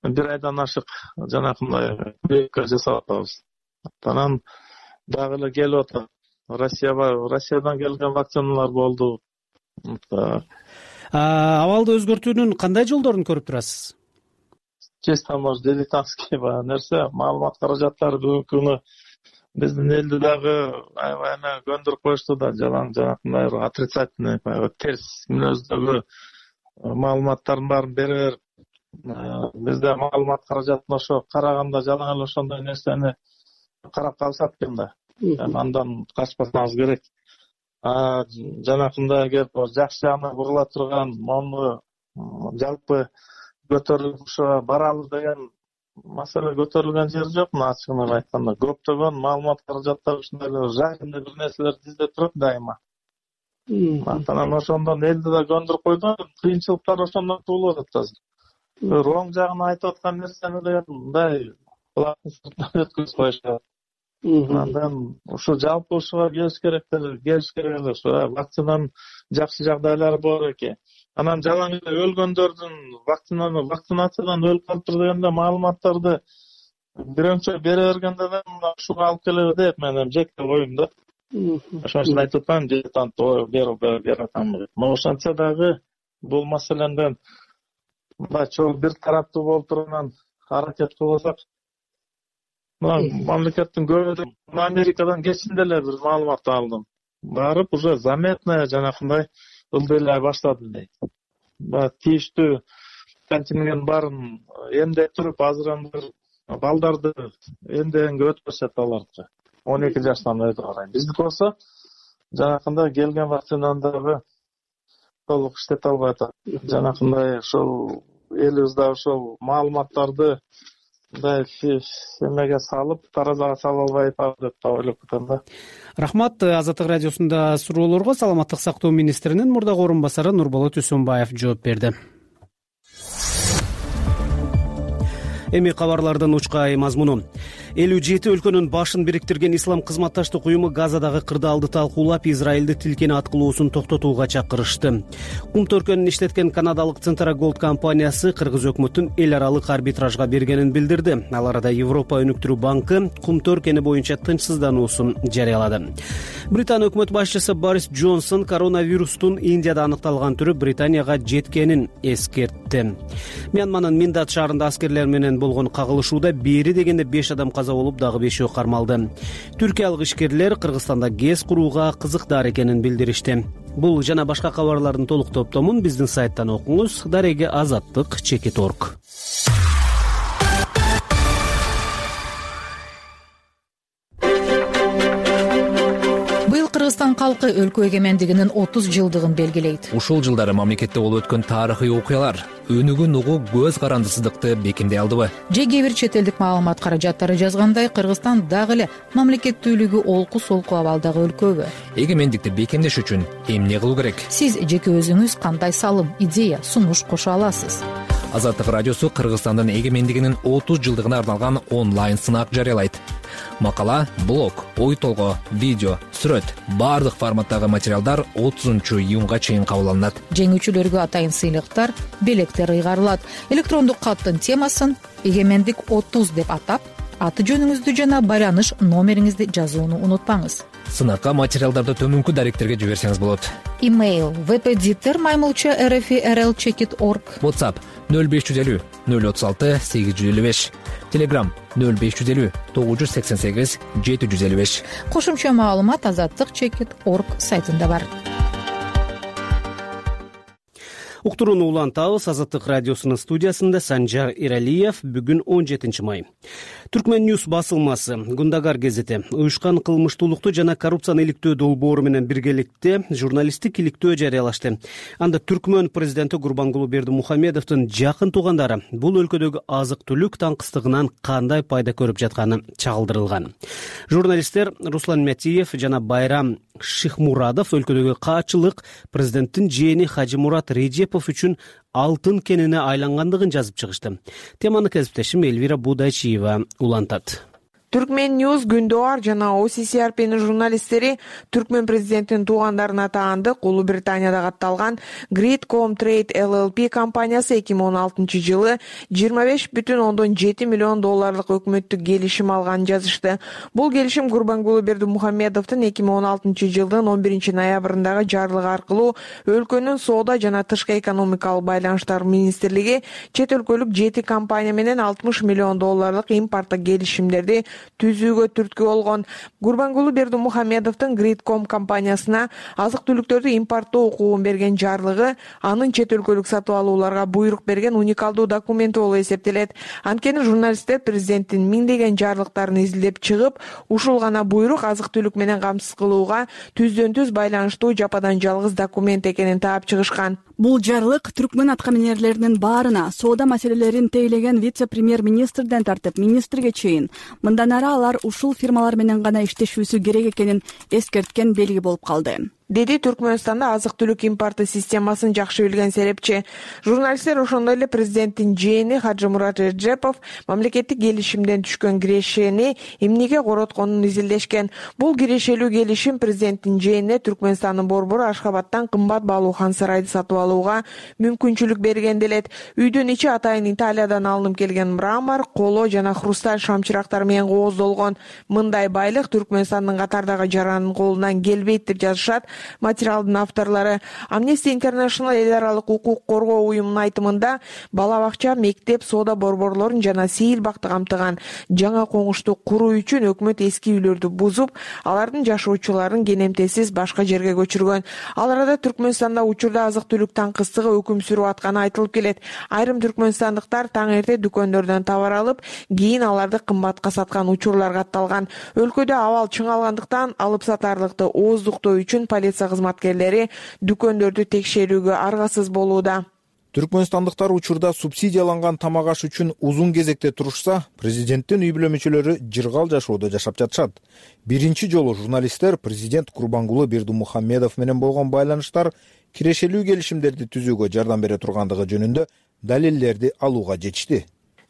бир айдан ашык жанагындай прививка жасап атабыз. Анан дагы эле келип атат. Россияга, Россиядан келген вакциналар болду. Абалды өзгөртүүнүн кандай жолдорун көрүп турасыз? Честно, может, дилетантский нерсе, маалымат каражаттары бүгүнкү күнү биздин элди дагы аябай эме көндүрүп коюшту да, жалаң жанагындай отрицательный, терс мүнөздөгү маалыматтардын баарын бере берип, бизде маалымат каражатын ошо караганда жалаң эле ошондой нерсени карап калышат экен да. Андан качпасаңыз керек. Жанакындай кеп жакшы жагына бурула турган, мону жалпы көтөрүлүп ошо баралы деген маселе көтөрүлгөн жери жок. Ачыгын айтканда көптөгөн маалымат каражаттар ушундай эле жайында бир нерселерди издеп турат дайыма. Анан ошондон элди да көндүрүп койду. Кыйынчылыктар ошондон туулуп атат азыр. Оң жагына айтып аткан нерсени деген мындай кулактын сыртынан өткүзүп коюшат. Андан ушу жалпы ушуга келиш керек эле, келиш керек эле. Ошо вакцинанын жакшы жагдайлары бар экен. Анан жалаң эле өлгөндөрдүн вакцинаны вакцинациядан өлүп калыптыр дегенде маалыматтарды бирөөчө бере бергенде да ушуга алып келеби деп мен жеке оюм да. Ошону айтып атам, дилетант берип берип атам. Но ошончо дагы бул маселеден мындай чоң бир тараптуу болуп турган аракет кылсак, мамлекеттин көбү Америкадан кечинде эле бир маалымат алдым. Барып уже заметная жанакындай ылдыйлай баштады дейт. Ба тийиштүү контингент баарын эмдеп туруп, азыр анда балдарды эмдегенге өтпөшөт аларды. он эки жаштан өтө карай. Биздики болсо жанакындай келген вакцинаны дагы толук иштете албай атат. Жанакындай ошол элибизде ошол маалыматтарды мындай эмеге салып, таразага сала албай атат деп ойлоп атам да. Рахмат. Азаттык радиосунда суроолорго Саламаттык сактоо министринин мурдагы орун басары Нурболот Үсөнбаев жооп берди. Эми кабарлардын учкай мазмуну. элүү жети өлкөнүн башын бириктирген Ислам кызматташтык уюму Газадагы кырдаалды талкуулап, Израилди тилкени аткылоосун токтотууга чакырышты. Кум төркөнүн иштеткен канадалык Центра Голд компаниясы Кыргыз өкмөтүн эл аралык арбитражга бергенин билдирди. Ал арада Европа өнүктүрүү банкы кум төркөни боюнча тынчсыздануусун жарыялады. Британ өкмөт башчысы Борис Джонсон коронавирустун Индияда аныкталган түрү Британияга жеткенин эскертти. Мьянманын Миндат шаарында аскерлер менен болгон кагылышууда бери дегенде беш адам каза болуп, дагы бешөө кармалды. Түркиялык ишкерлер Кыргызстанда ГЭС курууга кызыктар экенин билдиришти. Бул жана башка кабарлардын толук топтомун биздин сайттан окуңуз. Дареге азаттык чекит орг. Кыргызстан калкы өлкө эгемендигинин отуз жылдыгын белгилейт. Ушул жылдары мамлекетте болуп өткөн тарыхый окуялар өнүгүн угуу көз карандысыздыкты бекемдей алдыбы? Же кээ бир чет элдик маалымат каражаттары жазгандай, Кыргызстан дагы эле мамлекеттүүлүгү олку солку абалдагы өлкөбү? Эгемендикти бекемдеш үчүн эмне кылуу керек? Сиз жеке өзүңүз кандай салым, идея, сунуш кошо аласыз? Азаттык радиосу Кыргызстандын эгемендигинин отуз жылдыгына арналган онлайн сынак жарыялайт. Макала, блог, ой толгоо, видео, сүрөт баардык форматтагы материалдар отузунчу июнга чейин кабыл алынат. Жеңүүчүлөргө атайын сыйлыктар, белектер ыйгарылат. Электрондук каттын темасын эгемендик отуз деп атап, аты жөнүңүздү жана байланыш номериңизди жазууну унутпаңыз. Сынакка материалдарды төмөнкү даректерге жиберсеңиз болот. Имейл впдиттер маймылча rfrlchekit точка org. WhatsApp нөл беш жүз элүү нөл отуз алты сегиз жүз элүү беш. Telegram нөл беш жүз элүү тогуз жүз сексен сегиз жети жүз элүү беш. Кошумча маалымат азаттык чекит точка org сайтында бар. Уктурууну улантабыз. Азаттык радиосунун студиясында Санжар Иралиев. Бүгүн он жетинчи май. Түркмен Ньюс басылмасы, Гундагар гезити уюшкан кылмыштуулукту жана коррупцияны иликтөө долбоору менен биргеликте журналисттик иликтөө жарыялашты. Анда Түркмөн президенти Гурбангулы Бердимухамедовдун жакын туугандары бул өлкөдөгү азык-түлүк таңкыстыгынан кандай пайда көрүп жатканы чагылдырылган. Журналисттер Руслан Метиев жана Байрам Шихмурадов өлкөдөгү каачылык президенттин жээни Хажимурат Режепов үчүн алтын кенине айлангандыгын жазып чыгышты. Теманы кесиптешим Элвира Будайчиева улантат. Түркмен Ньюс, Гүндоар жана о си си ар п'нин журналисттери Түркмен президентинин туугандарына таандык Улуу Британияда катталган Gridcom Trade эл эл пи компаниясы эки миң он алтынчы жылы жыйырма беш бүтүн ондон жети миллион долларлык өкмөттүк келишим алганын жазышты. Бул келишим Гурбангулы Бердимухамедовдун эки миң он алтынчы жылдын он биринчи ноябрындагы жарлыгы аркылуу өлкөнүн соода жана тышкы экономикалык байланыштар министрлиги чет өлкөлүк жети компания менен алтымыш миллион долларлык импорттук келишимдерди түзүүгө түрткү болгон. Гурбангулы Бердимухамедовдун Gridcom компаниясына азык-түлүктөрдү импорттоо укугун берген жарлыгы анын чет өлкөлүк сатып алууларга буйрук берген уникалдуу документи болуп эсептелет. Анткени журналисттер президенттин миңдеген жарлыктарын изилдеп чыгып, ушул гана буйрук азык-түлүк менен камсыз кылууга түздөн түз байланыштуу жападан жалгыз документ экенин таап чыгышкан. Бул жарлык түркмөн аткаминерлеринин баарына соода маселелерин тейлеген вице-премьер-министрден тартып министрге чейин мындан ары алар ушул фирмалар менен гана иштешүүсү керек экенин эскерткен белги болуп калды, деди Түркмөнстанда азык-түлүк импорту системасын жакшы билген серепчи. Журналисттер ошондой эле президенттин жээни Хажимурат Режепов мамлекеттик келишимден түшкөн кирешени эмнеге коротконун изилдешкен. Бул кирешелүү келишим президенттин жээнине Түркмөнстандын борбору Ашхабадтан кымбат баалуу хан сарайды сатып алууга мүмкүнчүлүк берген делет. Үйдүн ичи атайын Италиядан алынып келген мрамор, коло жана хрусталь шамчырактар менен кооздолгон. Мындай байлык Түркмөнстандын катардагы жаранын колунан келбейт деп жазышат материалдын авторлору. Amnesty International эл аралык укук коргоо уюмунун айтымында бала бакча, мектеп, соода борборлорун жана сейил бакты камтыган жаңа коңушту куруу үчүн өкмөт эски үйлөрдү бузуп, алардын жашоочуларын кенемтесиз башка жерге көчүргөн. Ал арада Түркмөнстанда учурда азык-түлүк таңкыстыгы өкүм сүрүп атканы айтылып келет. Айрым түркмөнстандыктар таң эрте дүкөндөрдөн товар алып, кийин аларды кымбатка саткан учурлар катталган. Өлкөдө абал чыңалгандыктан алып сатарлыкты ооздуктоо үчүн полиция кызматкерлери дүкөндөрдү текшерүүгө аргасыз болууда. Түркмөнстандыктар учурда субсидияланган тамак аш үчүн узун кезекте турушса, президенттин үй бүлө мүчөлөрү жыргал жашоодо жашап жатышат. Биринчи жолу журналисттер президент Гурбангулы Бердимухамедов менен болгон байланыштар кирешелүү келишимдерди түзүүгө жардам бере тургандыгы жөнүндө далилдерди алууга жетишти,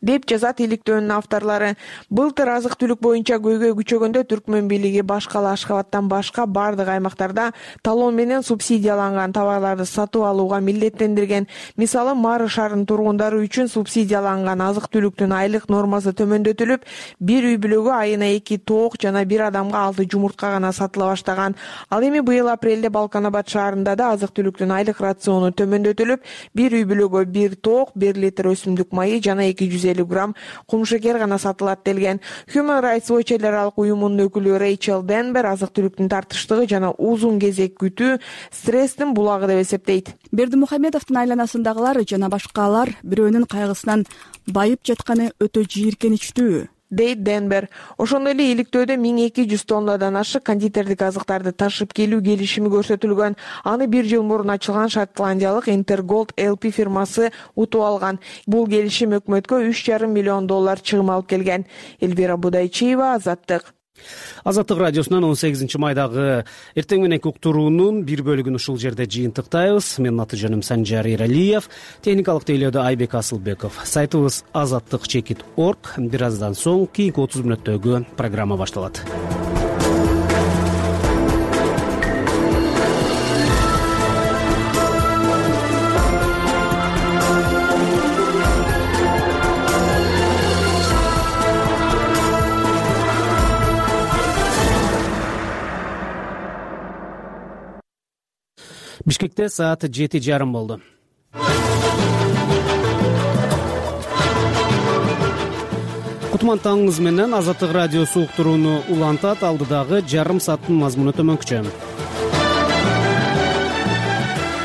деп жазат иликтөөнүн авторлору. Былтыр азык-түлүк боюнча көйгөй күчөгөндө Түркмөн бийлиги башкала Ашхабадтан башка бардык аймактарда талон менен субсидияланган товарларды сатып алууга милдеттендирген. Мисалы, Мары шаарынын тургундары үчүн субсидияланган азык-түлүктүн айлык нормасы төмөндөтүлүп, бир үй бүлөгө айына эки тоок жана бир адамга алты жумуртка гана сатыла баштаган. Ал эми быйыл апрелде Балканабад шаарында да азык-түлүктүн айлык рациону төмөндөтүлүп, бир үй бүлөгө бир тоок, бир литр өсүмдүк майы жана эки жүз элүү грамм кумшекер гана сатылат делген. Human Rights Watch эл аралык уюмунун өкүлү Рейчел Денбер азык-түлүктүн тартыштыгы жана узун кезек күтүү стресстин булагы деп эсептейт. Бердимухамедовдун айланасындагылар жана башкалар бирөөнүн кайгысынан байып жатканы өтө жийиркеничтүү. дейт Денбер. Ошондой эле иликтөөдө миң эки жүз тоннадан ашык кондитердик азыктарды ташып келүү келишими көрсөтүлгөн. Аны бир жыл мурун ачылган шотландиялык Интерголд эл пи фирмасы утуп алган. Бул келишим өкмөткө үч жарым миллион доллар чыгым алып келген. Элвира Будайчиева, Азаттык. Азаттык радиосунан он сегизинчи майдагы эртең мененки уктуруунун бир бөлүгүн ушул жерде жыйынтыктайбыз. Менин аты жөнүм Санжар Иралиев, техникалык тейлөөдө Айбек Асылбеков. Сайтыбыз азаттык чекит точка орг. Бир аздан соң кийинки отуз мүнөттөгү программа башталат. Бишкекте саат жети жарым болду. Кутман таңыңыз менен Азаттык радиосу уктурууну улантат. Алдыдагы жарым сааттын мазмуну төмөнкүчө.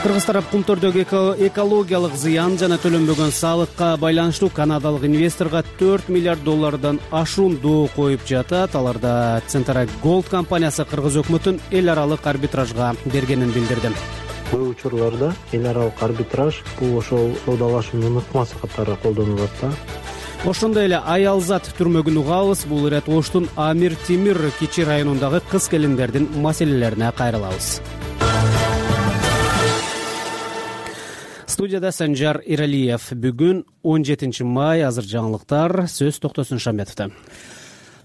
Кыргыз тарап кумтөрдөгү экологиялык зыян жана төлөнбөгөн салыкка байланыштуу канадалык инвесторго төрт миллиард доллардан ашуун доо коюп жатат. Аларда Центра Голд компаниясы кыргыз өкмөтүн эл аралык арбитражга бергенин билдирди. Көп учурларда эл аралык арбитраж бул ошол соодалашуунун ыкмасы катары колдонулат да. Ошондой эле Аялзат түрмөгүн угабыз. Бул ирет Оштун Амир Темир Кичи районундагы кыз келиндердин маселелерине кайрылабыз. Студияда Санжар Иралиев. Бүгүн он жетинчи май. Азыр жаңылыктар. Сөз Токтосун Шамбетовдо.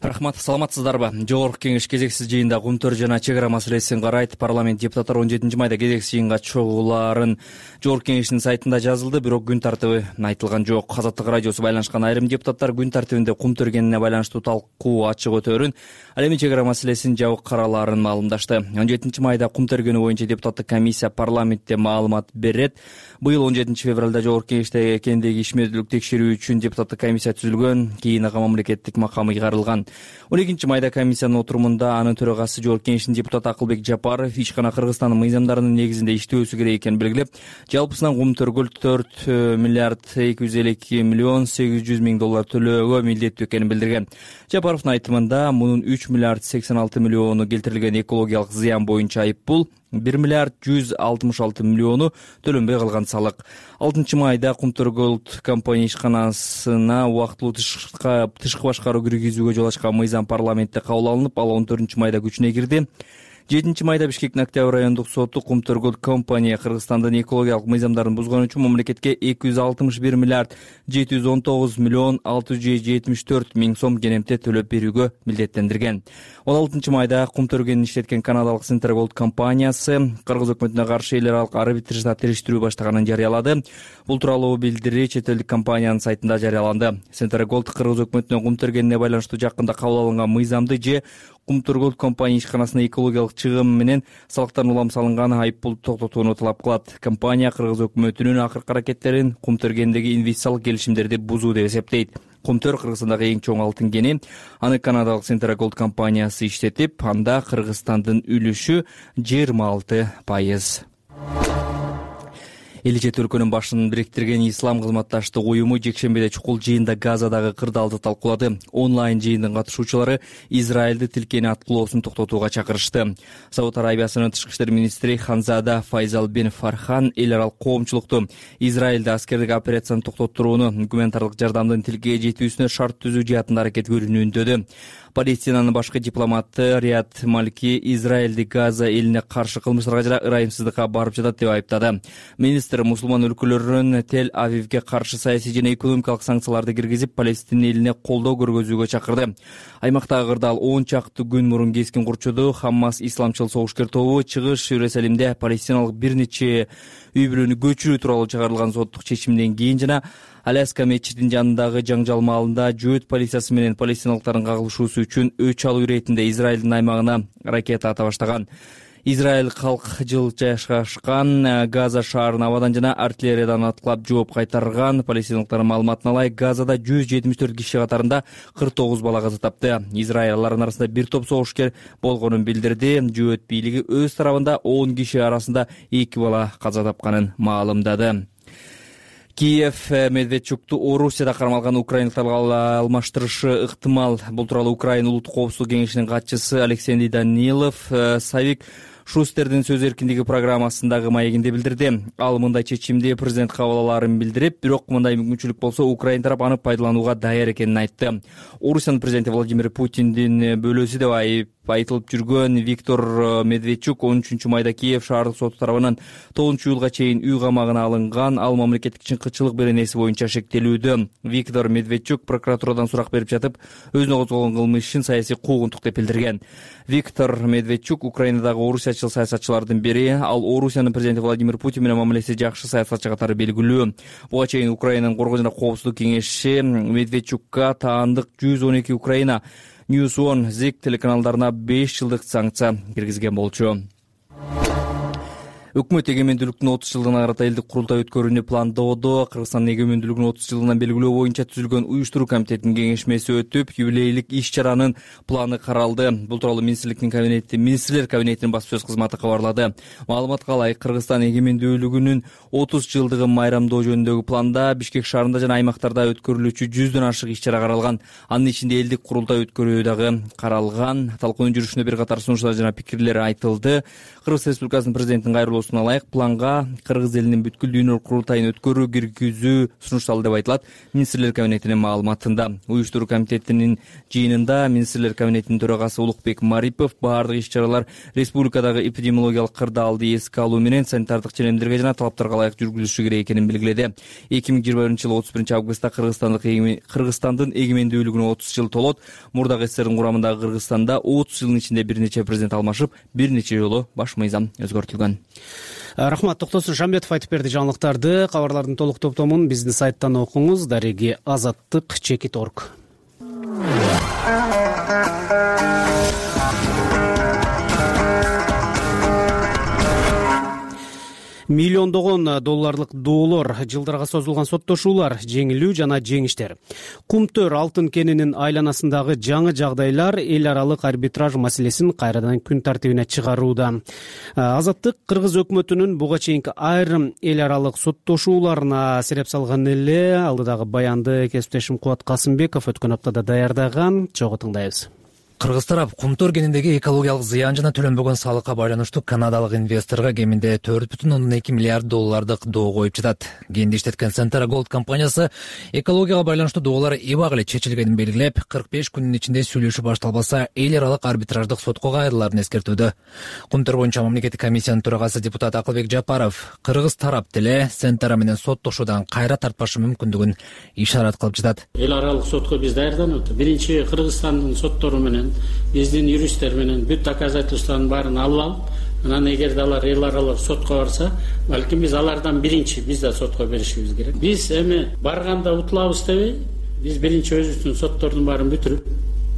Рахмат, саламатсыздарбы? Жогорку кеңеш кезексиз жыйында кумтөр жана чек ара маселесин карайт. Парламент депутаттары он жетинчи майда кезексиз жыйынга чогулаарын Жогорку кеңештин сайтында жазылды, бирок күн тартиби айтылган жок. Азаттык радиосу байланышкан айрым депутаттар күн тартибинде кум төргенине байланыштуу талкуу ачык өтөөрүн, ал эми чек ара маселесин жабык карааларын маалымдашты. он жетинчи майда кум төргөнү боюнча депутаттык комиссия парламентте маалымат берет. Быйыл он жетинчи февралда Жогорку кеңеште экендеги ишмердүүлүк текшерүү үчүн депутаттык комиссия түзүлгөн, кийин ага мамлекеттик макам ыйгарылган. он экинчи майда комиссиянын отурумунда анын төрагасы Жогорку кеңештин депутаты Акылбек Жапаров ичкана Кыргызстандын мыйзамдарынын негизинде иштөөсү керек экенин белгилеп, жалпысынан кум төргөл төрт миллиард эки жүз элүү эки миллион сегиз жүз миң доллар төлөөгө милдеттүү экенин билдирген. Жапаровдун айтымында мунун үч миллиард сексен алты миллиону келтирилген экологиялык зыян боюнча айыппул, бир миллиард жүз алтымыш алты миллиону төлөнбөй калган салык. алтынчы майда Кумтөр Голд компания ишканасына убактылуу тышкы тышкы башкаруу киргизүүгө жол ачкан мыйзам парламентте кабыл алынып, ал он төртүнчү майда күчүнө кирди. жетинчи майда Бишкектин Октябрь райондук соту Кумтөр Голд компания Кыргызстандын экологиялык мыйзамдарын бузгон үчүн мамлекетке эки жүз алтымыш бир миллиард жети жүз он тогуз миллион алты жүз жетимиш төрт миң сом кенемте төлөп берүүгө милдеттендирген. он алтынчы майда кум төргөнүн иштеткен канадалык Центра Голд компаниясы Кыргыз өкмөтүнө каршы эл аралык арбитражда териштирүү баштаганын жарыялады. Бул тууралуу билдирүү чет элдик компаниянын сайтында жарыяланды. Центра Голд Кыргыз өкмөтүнө кум төргөнүнө байланыштуу жакында кабыл алынган мыйзамды же Кумтөр Голд компания ишканасына экологиялык чыгым менен салыктан улам салынган айыппулду токтотууну талап кылат. Компания Кыргыз өкмөтүнүн акыркы аракеттерин кум төргөндөгү инвестициялык келишимдерди бузуу деп эсептейт. Кумтөр Кыргызстандагы эң чоң алтын кени. Аны канадалык Центра Голд компаниясы иштетип, анда Кыргызстандын үлүшү жыйырма алты пайыз. Эли чет өлкөнүн башын бириктирген Ислам кызматташтык уюму жекшембиде чукул жыйында Газадагы кырдаалды талкуулады. Онлайн жыйындын катышуучулары Израилди тилкени аткылоосун токтотууга чакырышты. Сауд Арабиясынын тышкы иштер министри Ханзада Файзал бен Фархан эл аралык коомчулукту Израилде аскердик операцияны токтоттурууну, гуманитардык жардамдын тилкеге жетүүсүнө шарт түзүү жаатында аракет көрүүнү үндөдү. Палестинанын башкы дипломаты Рият Малки Израилди Газа элине каршы кылмыштарга жана ырайымсыздыкка барып жатат деп айыптады. Министр мусулман өлкөлөрүн Тель-Авивге каршы саясий жана экономикалык санкцияларды киргизип, Палестин элине колдоо көргөзүүгө чакырды. Аймактагы кырдаал он чакты күн мурун кескин курчуду. Хаммас исламчыл согушкер тобу чыгыш Иерусалимде палестиналык бир нече үй бүлөнү көчүрүү тууралуу чыгарылган соттук чечимден кийин жана Аляска мечитинин жанындагы жаңжал маалында жөөт полициясы менен палестиналыктардын кагылышуусу үчүн өч алуу иретинде Израилдин аймагына ракета ата баштаган. Израиль калк жыл жайгашкан Газа шаарын абадан жана артиллериядан аткылап жооп кайтарган. Палестиналыктардын маалыматына ылайык, Газада жүз жетимиш төрт киши катарында кырк тогуз бала каза тапты. Израиль алардын арасында бир топ согушкер болгонун билдирди. Жөөт бийлиги өз тарабында он киши арасында эки бала каза тапканын маалымдады. Киев Медведчукту Орусияда кармалган украиналыктарга алмаштырышы ыктымал. Бул тууралуу Украина улуттук коопсуздук кеңешинин катчысы Алексей Данилов Савик Шустердин сөз эркиндиги программасындагы маегинде билдирди. Ал мындай чечимди президент кабыл алаарын билдирип, бирок мындай мүмкүнчүлүк болсо Украина тарап аны пайдаланууга даяр экенин айтты. Орусиянын президенти Владимир Путиндин бөлөөсү деп айып айтылып жүргөн Виктор Медведчук он үчүнчү майда Киев шаардык соту тарабынан тогузунчу июлга чейин үй камагына алынган. Ал мамлекеттик чыңкычылык беренеси боюнча шектелүүдө. Виктор Медведчук прокуратурадан сурак берип жатып, өзүнө козголгон кылмыш ишин саясий куугунтук деп билдирген. Виктор Медведчук Украинадагы орусиячыл саясатчылардын бири. Ал Орусиянын президенти Владимир Путин менен мамилеси жакшы саясатчы катары белгилүү. Буга чейин Украинанын Коргоо жана коопсуздук кеңеши Медведчукка таандык жүз он эки Украина News One Zik телеканалдарына беш жылдык санкция киргизген болчу. Өкмөт эгемендүүлүктүн отуз жылдыгына карата элдик курултай өткөрүүнү пландоодо. Кыргызстандын эгемендүүлүгүнүн отуз жылдыгын белгилөө боюнча түзүлгөн уюштуруу комитетинин кеңешмеси өтүп, юбилейлик иш-чаранын планы каралды. Бул тууралуу министрликтин кабинети, министрлер кабинетинин басма сөз кызматы кабарлады. Маалыматка ылайык, Кыргызстан эгемендүүлүгүнүн отуз жылдыгын майрамдоо жөнүндөгү планда Бишкек шаарында жана аймактарда өткөрүлүүчү жүздөн ашык иш-чара каралган. Анын ичинде элдик курултай өткөрүү дагы каралган. Талкуунун жүрүшүндө бир катар сунуштар жана пикирлер айтылды. Кыргыз Республикасынын президентинин кайрылуусуна ылайык планга Кыргыз элинин бүткүл дүйнөлүк курултайын өткөрүү киргизүү сунушталды деп айтылат министрлер кабинетинин маалыматында. Уюштуруу комитетинин жыйынында министрлер кабинетинин төрагасы Улукбек Марипов баардык иш-чаралар республикадагы эпидемиологиялык кырдаалды эске алуу менен санитардык ченемдерге жана талаптарга ылайык жүргүзүлүшү керек экенин белгиледи. эки миң жыйырма биринчи жылы отуз биринчи августта Кыргызстандык Кыргызстандын эгемендүүлүгүнө отуз жыл толот. Мурдагы СССРдин курамындагы Кыргызстанда отуз жылдын ичинде бир нече президент алмашып, бир нече жолу баш мыйзам өзгөртүлгөн. Рахмат, Токтосун Шамбетов айтып берди жаңылыктарды. Кабарлардын толук топтомун биздин сайттан окуңуз. Дареги азаттык чекит точка орг. Миллиондогон долларлык доолор, жылдарга созулган соттошуулар, жеңилүү жана жеңиштер. Кумтөр алтын кенинин айланасындагы жаңы жагдайлар эл аралык арбитраж маселесин кайрадан күн тартибине чыгарууда. Азаттык Кыргыз өкмөтүнүн буга чейинки айрым эл аралык соттошууларына сереп салган эле. Алдыдагы баянды кесиптешим Кубат Касымбеков өткөн аптада даярдаган. Чогуу тыңдайбыз. Кыргыз тарап кумтөр кениндеги экологиялык зыян жана төлөнбөгөн салыкка байланыштуу канадалык инвесторго кеминде төрт бүтүн ондон эки миллиард доллардык доо коюп жатат. Кенди иштеткен Centera Gold компаниясы экологияга байланыштуу доолор эбак эле чечилгенин белгилеп, кырк беш күндүн ичинде сүйлөшүү башталбаса эл аралык арбитраждык сотко кайрылаарын эскертүүдө. Кумтөр боюнча мамлекеттик комиссиянын төрагасы депутат Акылбек Жапаров Кыргыз тарап деле Centera менен соттошуудан кайра тартпашы мүмкүндүгүн ишарат кылып жатат. Эл аралык сотко биз даярданып, биринчи Кыргызстандын соттору менен биздин юристтер менен бүт доказательствонун баарын алып алып, анан эгерде алар эл аралык сотко барса, балким биз алардан биринчи биз да сотко беришибиз керек. Биз эми барганда утулабыз дебей, биз биринчи өзүбүздүн соттордун баарын бүтүрүп,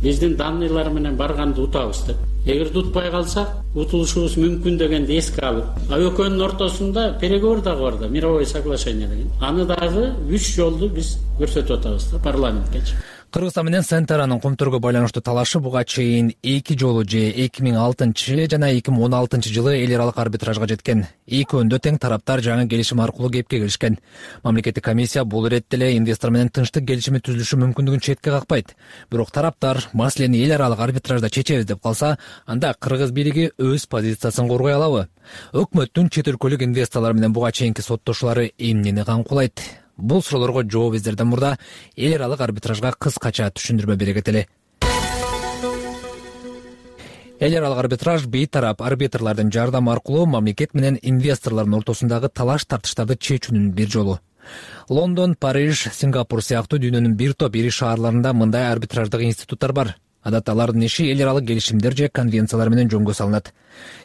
биздин данныйлар менен барганды утабыз деп. Эгерде утпай калсак, утулушубуз мүмкүн дегенди эске алып, а экөөнүн ортосунда переговор дагы бар да, мировое соглашение деген. Аны дагы үч жолду биз көрсөтүп атабыз да парламенткечи. Кыргызстан менен Centera'нын кумтөргө байланыштуу талашы буга чейин эки жолу же эки миң алтынчы жана эки миң он алтынчы жылы эл аралык арбитражга жеткен. Экөөндө тең тараптар жаңы келишим аркылуу кепке келишкен. Мамлекеттик комиссия бул иретте эле инвестор менен тынчтык келишими түзүлүшү мүмкүндүгүн четке какпайт. Бирок тараптар маселени эл аралык арбитражда чечебиз деп калса, анда Кыргыз бийлиги өз позициясын коргой алабы? Өкмөттүн чет өлкөлүк инвесторлор менен буга чейинки соттошуулары эмнени камкулайт? Бул суроолорго жооп издерден мурда эл аралык арбитражга кыскача түшүндүрмө бере кетели. Эл аралык арбитраж бейтарап арбитрлардын жардамы аркылуу мамлекет менен инвесторлордун ортосундагы талаш тартыштарды чечүүнүн бир жолу. Лондон, Париж, Сингапур сыяктуу дүйнөнүн бир топ ири шаарларында мындай арбитраждык институттар бар. Адатта алардын иши эл аралык келишимдер же конвенциялар менен жөнгө салынат.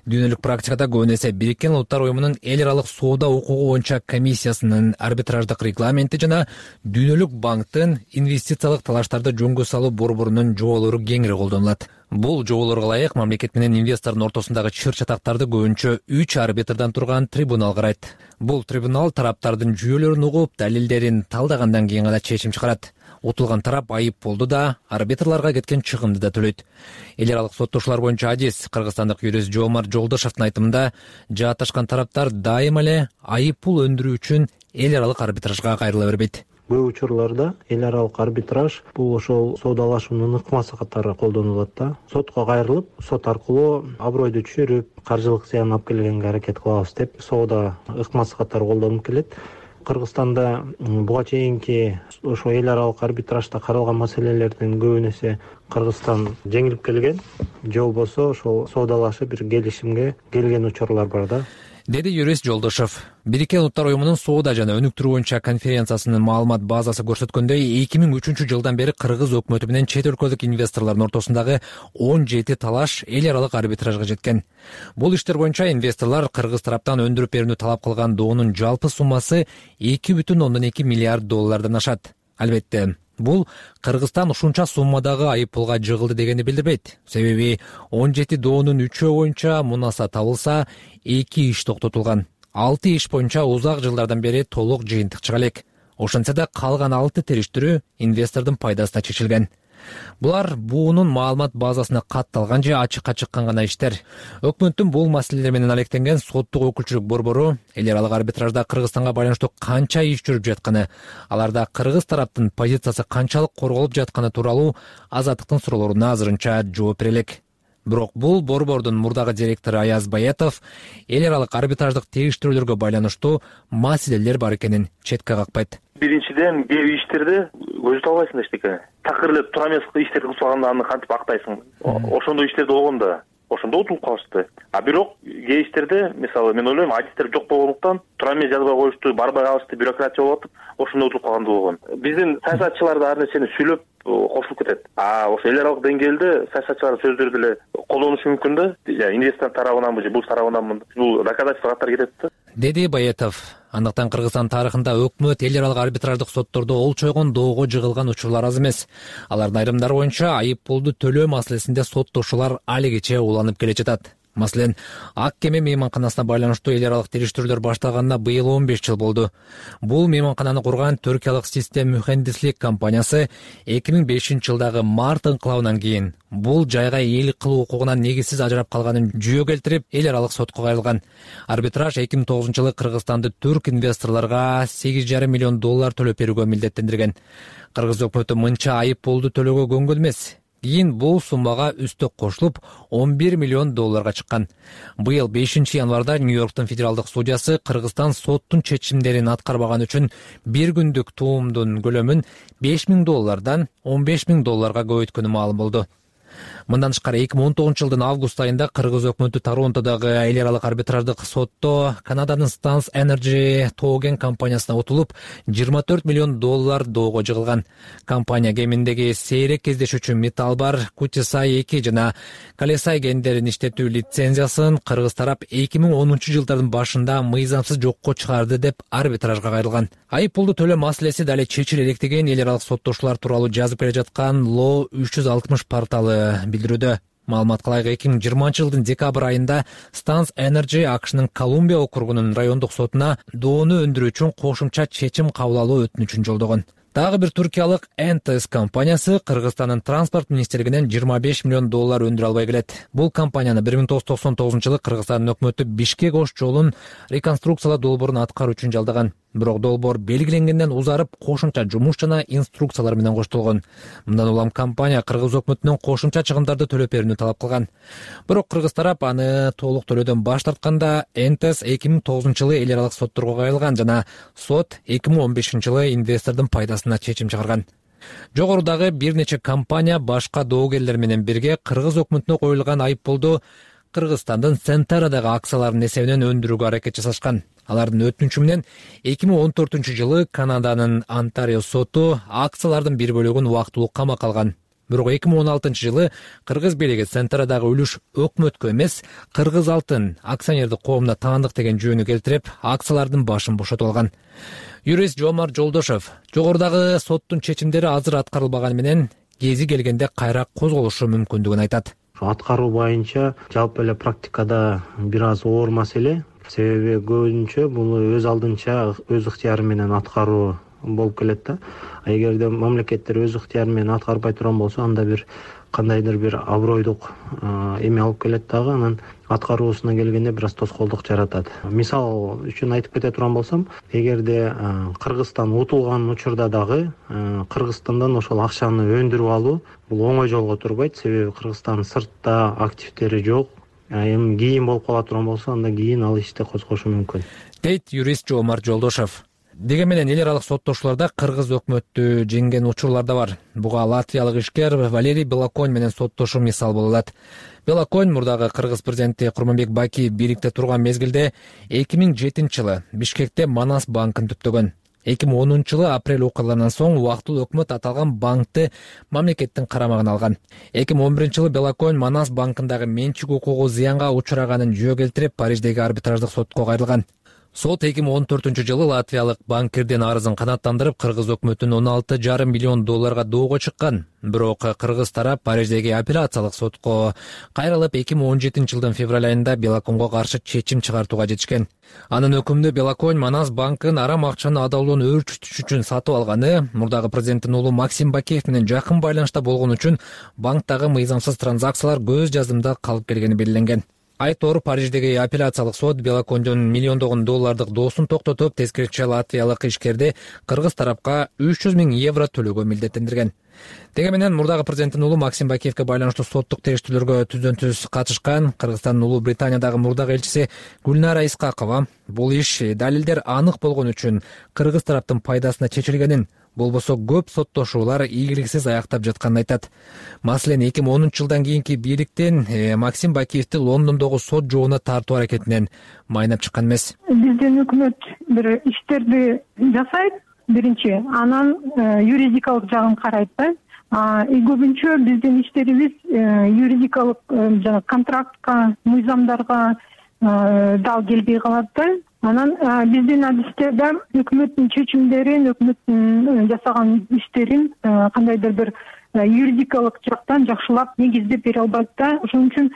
Дүйнөлүк практикада көбүн эсе Бириккен Улуттар уюмунун эл аралык соода укугу боюнча комиссиясынын арбитраждык регламенти жана Дүйнөлүк банктын инвестициялык талаштарды жөнгө салуу борборунун жоболору кеңири колдонулат. Бул жоболорго ылайык мамлекет менен инвестордун ортосундагы чыр чатактарды көбүнчө үч арбитрдан турган трибунал карайт. Бул трибунал тараптардын жүйөлөрүн угуп, далилдерин талдагандан кийин гана чечим чыгарат. Утулган тарап айып болду да, арбитрларга кеткен чыгымды да төлөйт. Эл аралык соттошуулар боюнча адис кыргызстандык юрист Жоомарт Жолдошовдун айтымында, жааташкан тараптар дайыма эле айып пул өндүрүү үчүн эл аралык арбитражга кайрыла бербейт. Көп учурларда эл аралык арбитраж бул ошол соодалашуунун ыкмасы катары колдонулат да. Сотко кайрылып, сот аркылуу абройду түшүрүп, каржылык зыян алып келгенге аракет кылабыз деп соода ыкмасы катары колдонуп келет. Кыргызстанда буга чейинки ошо эл аралык арбитражда каралган маселелердин көбүн эсе Кыргызстан жеңилип келген, же болбосо ошол соодалашып бир келишимге келген учурлар бар да, деди юрист Жолдошов. Бириккен Улуттар уюмунун соода жана өнүктүрүү боюнча конференциясынын маалымат базасы көрсөткөндөй, эки миң үчүнчү жылдан бери Кыргыз өкмөтү менен чет өлкөлүк инвесторлордун ортосундагы он жети талаш эл аралык арбитражга жеткен. Бул иштер боюнча инвесторлор Кыргыз тараптан өндүрүп берүүнү талап кылган доонун жалпы суммасы эки бүтүн ондон эки миллиард доллардан ашат. Албетте, бул Кыргызстан ушунча суммадагы айыппулга жыгылды дегенди билдирбейт. Себеби он жети доонун үчөө боюнча мунаса табылса, эки иш токтотулган. алты иш боюнча узак жылдардан бери толук жыйынтык чыга элек. Ошентсе да калган алты териштирүү инвестордун пайдасына чечилген. Булар буунун маалымат базасына катталган же ачыкка чыккан гана иштер. Өкмөттүн бул маселелер менен алектенген соттук өкүлчүлүк борбору эл аралык арбитражда Кыргызстанга байланыштуу канча иш жүрүп жатканы, аларда Кыргыз тараптын позициясы канчалык корголуп жатканы тууралуу Азаттыктын суроолоруна азырынча жооп бере элек. Бирок бул борбордун мурдагы директору Аяз Баятов эл аралык арбитраждык териштирүүлөргө байланыштуу маселелер бар экенин четке какпайт. Биринчиден, кээ бир иштерде көзү албайсың эчтеке. Такыр эле тура эмес иштерди кылсаганда аны кантип актайсың? Ошондой иштерде болгондо ошондо утулуп калышты. А бирок кээ иштерде, мисалы, мен ойлойм, адистер жок болгондуктан тура эмес жазбай коюшту, барбай калышты, бюрократия болуп атып, ошондо утулуп калган болгон. Биздин саясатчылар да ар нерсени сүйлөп кошулуп кетет. А ошо эл аралык деңгээлде саясатчылардын сөздөрү деле колдонушу мүмкүн да. Инвестор тарабынан же бул тарабынан бул доказательство катары кетет да, деди Баятов. Андыктан Кыргызстан тарыхында өкмөт эл аралык арбитраждык соттордо олчойгон доого жыгылган учурлар аз эмес. Алардын айрымдары боюнча айыппулду төлөө маселесинде соттошуулар алигиче уланып келе жатат. Маселен, Ак кеме мейманканасына байланыштуу эл аралык териштирүүлөр башталганына быйыл он беш жыл болду. Бул мейманкананы курган түркиялык систем мухендислик компаниясы эки миң бешинчи жылдагы март инкылабынан кийин бул жайга ээлик кылуу укугунан негизсиз ажырап калганын жүйө келтирип, эл аралык сотко кайрылган. Арбитраж эки миң тогузунчу жылы Кыргызстанды түрк инвесторлорго сегиз жарым миллион доллар төлөп берүүгө милдеттендирген. Кыргыз өкмөтү мынча айыппулду төлөөгө көнгөн эмес. Кийин бул суммага үстөк кошулуп он бир миллион долларга чыккан. Быйыл бешинчи январда Нью-Йорктун федералдык судьясы Кыргызстан соттун чечимдерин аткарбаган үчүн бир күндүк туумдун көлөмүн беш миң доллардан он беш миң долларга көбөйткөнү маалым болду. Мындан тышкары эки миң он тогузунчу жылдын август айында Кыргыз өкмөтү Торонтодогу эл аралык арбитраждык сотто Канаданын Stans Energy Togen компаниясына утулуп жыйырма төрт миллион доллар доого жыгылган. Компания кеминдеги сейрек кездешүүчү металл бар Кутисай эки жана Калесай кендерин иштетүү лицензиясын Кыргыз тарап эки миң онунчу жылдардын башында мыйзамсыз жокко чыгарды деп арбитражга кайрылган. Айыппулду төлөө маселеси дали чечиле элек деген эл аралык соттошуулар тууралуу жазып келе жаткан Law үч жүз алтымыш порталы билдирүүдө. Маалымат кылайык, эки миң жыйырманчы жылдын декабрь айында Stans Energy АКШнын Колумбия округунун райондук сотуна доону өндүрүү үчүн кошумча чечим кабыл алуу өтүнүчүн жолдогон. Дагы бир түркиялык эн тэ эс компаниясы Кыргызстандын транспорт министрлигинен жыйырма беш миллион доллар өндүрө албай келет. Бул компанияны бир миң тогуз жүз токсон тогузунчу жылы Кыргызстандын өкмөтү Бишкек Ош жолун реконструкциялоо долбоорун аткаруу үчүн жалдаган. Бирок долбоор белгиленгенден узарып, кошумча жумуш жана инструкциялар менен коштолгон. Мындан улам компания Кыргыз өкмөтүнөн кошумча чыгымдарды төлөп берүүнү талап кылган. Бирок Кыргыз тарап аны толук төлөөдөн баш тартканда эн тэ эс эки миң тогузунчу жылы эл аралык сотторго кайрылган жана сот эки миң он бешинчи жылы инвестордун пайдасына чечим чыгарган. Жогорудагы бир нече компания башка доогерлер менен бирге Кыргыз өкмөтүнө коюлган айыппулду Кыргызстандын Центарадагы акцияларынын эсебинен өндүрүүгө аракет жасашкан. Алардын өтүнүчү менен эки миң он төртүнчү жылы Канаданын Онтарио соту акциялардын бир бөлүгүн убактылуу камакка алган. Бирок эки миң он алтынчы жылы Кыргыз бийлиги Центарадагы үлүш өкмөткө эмес, Кыргыз Алтын акционердик коомуна таандык деген жүйөнү келтирип, акциялардын башын бошотуп алган. Юрист Жомар Жолдошов жогорудагы соттун чечимдери азыр аткарылбаганы менен кези келгенде кайра козголушу мүмкүндүгүн айтат. Аткаруу боюнча жалпы эле практикада бир аз оор маселе. Себеби көбүнчө бул өз алдынча өз ыктыяры менен аткаруу болуп келет да. Эгерде мамлекеттер өз ыктыяры менен аткарбай турган болсо, анда бир кандайдыр бир абройдук эме алып келет дагы, анан аткаруусуна келгенде бир аз тоскоолдук жаратат. Мисал үчүн айтып кете турган болсом, эгерде Кыргызстан утулган учурда дагы Кыргызстандан ошол акчаны өндүрүп алуу бул оңой жолго турбайт, себеби Кыргызстан сыртта активдери жок. Эми кийин болуп кала турган болсо, анда кийин ал ишти козгошу мүмкүн, дейт юрист Жоомарт Жолдошев. Деге менен эл аралык соттошууларда кыргыз өкмөттү жеңген учурлар да бар. Буга латвиялык ишкер Валерий Белоконь менен соттошуу мисал боло алат. Белоконь мурдагы кыргыз президенти Курманбек Бакиев бийликте турган мезгилде эки миң жетинчи жылы Бишкекте Манас банкын түптөгөн. эки миң онунчу жылы апрель окуяларынан соң убактылуу өкмөт аталган банкты мамлекеттин карамагына алган. эки миң он биринчи жылы Белоконь Манас банкындагы менчик укугу зыянга учураганын жөө келтирип, Париждеги арбитраждык сотко кайрылган. Сот эки миң он төртүнчү жылы латвиялык банкирдин арызын канааттандырып, кыргыз өкмөтүн он алты жарым миллион долларга доого чыккан. Бирок кыргыз тарап Париждеги апелляциялык сотко кайрылып, эки миң он жетинчи жылдын февраль айында Белоконьго каршы чечим чыгартууга жетишкен. Анын өкүмүндө Белоконь Манас банкын арам акчаны адалдоон өөрчүтүш үчүн сатып алганы, мурдагы президенттин уулу Максим Бакиев менен жакын байланышта болгон үчүн банктагы мыйзамсыз транзакциялар көз жаздымда калып келгени белгиленген. Айтор Париждеги апелляциялык сот Белоконьдун миллиондогон доллардык доосун токтотуп, тескерисинче латвиялык ишкерди кыргыз тарапка үч жүз миң евро төлөөгө милдеттендирген. Деге менен мурдагы президенттин уулу Максим Бакиевке байланыштуу соттук териштирүүлөргө түздөн түз катышкан Кыргызстандын Улуу Британиядагы мурдагы элчиси Гүлнара Исхакова бул иш далилдер анык болгон үчүн кыргыз тараптын пайдасына чечилгенин, болбосо көп соттошуулар ийгиликсиз аяктап жатканын айтат. Маселен, эки миң онунчу жылдан кийинки бийликтин Максим Бакиевди Лондондогу сот жообуна тартуу аракетинен майнап чыккан эмес. Биздин өкмөт бир иштерди жасайт, биринчи, анан юридикалык жагын карайт да. И көбүнчө биздин иштерибиз юридикалык жана контрактка, мыйзамдарга дал келбей калат да. Анан биздин адистерде өкмөттүн чечимдерин, өкмөттүн жасаган иштерин кандайдыр бир юридикалык жактан жакшылап негиздеп бере албайт да. Ошон үчүн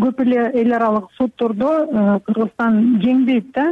көп эле эл аралык соттордо Кыргызстан жеңбейт да,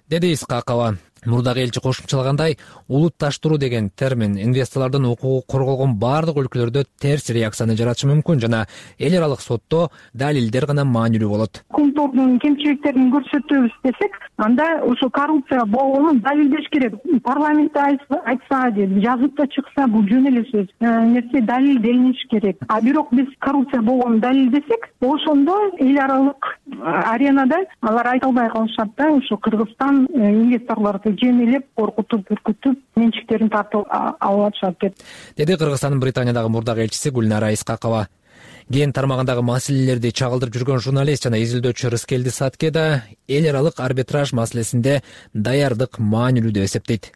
деди Исхакова. Мурдагы элчи кошумчалагандай, улутташтыруу деген термин инвесторлордун укугу корголгон бардык өлкөлөрдө терс реакцияны жаратышы мүмкүн жана эл аралык сотто далилдер гана маанилүү болот. Контордун кемчиликтерин көрсөтөбүз десек, анда ошо коррупция болгонун далилдеш керек. Парламентте айтса, жазып да чыкса, бул жөн эле сөз. Нерсе далилделиниш керек. А бирок биз коррупция болгонун далилдесек, ошондо эл аралык аренада алар айта албай калышат да, ошо Кыргызстан инвесторлорду жемелеп, коркутуп, үркүтүп, менчиктерин тартып алып атышат деп. Деди Кыргызстандын Британиядагы мурдагы элчиси Гүлнара Исхакова. Ген тармагындагы маселелерди чагылдырып жүргөн журналист жана изилдөөчү Рыскелди Сатке да эл аралык арбитраж маселесинде даярдык маанилүү деп эсептейт.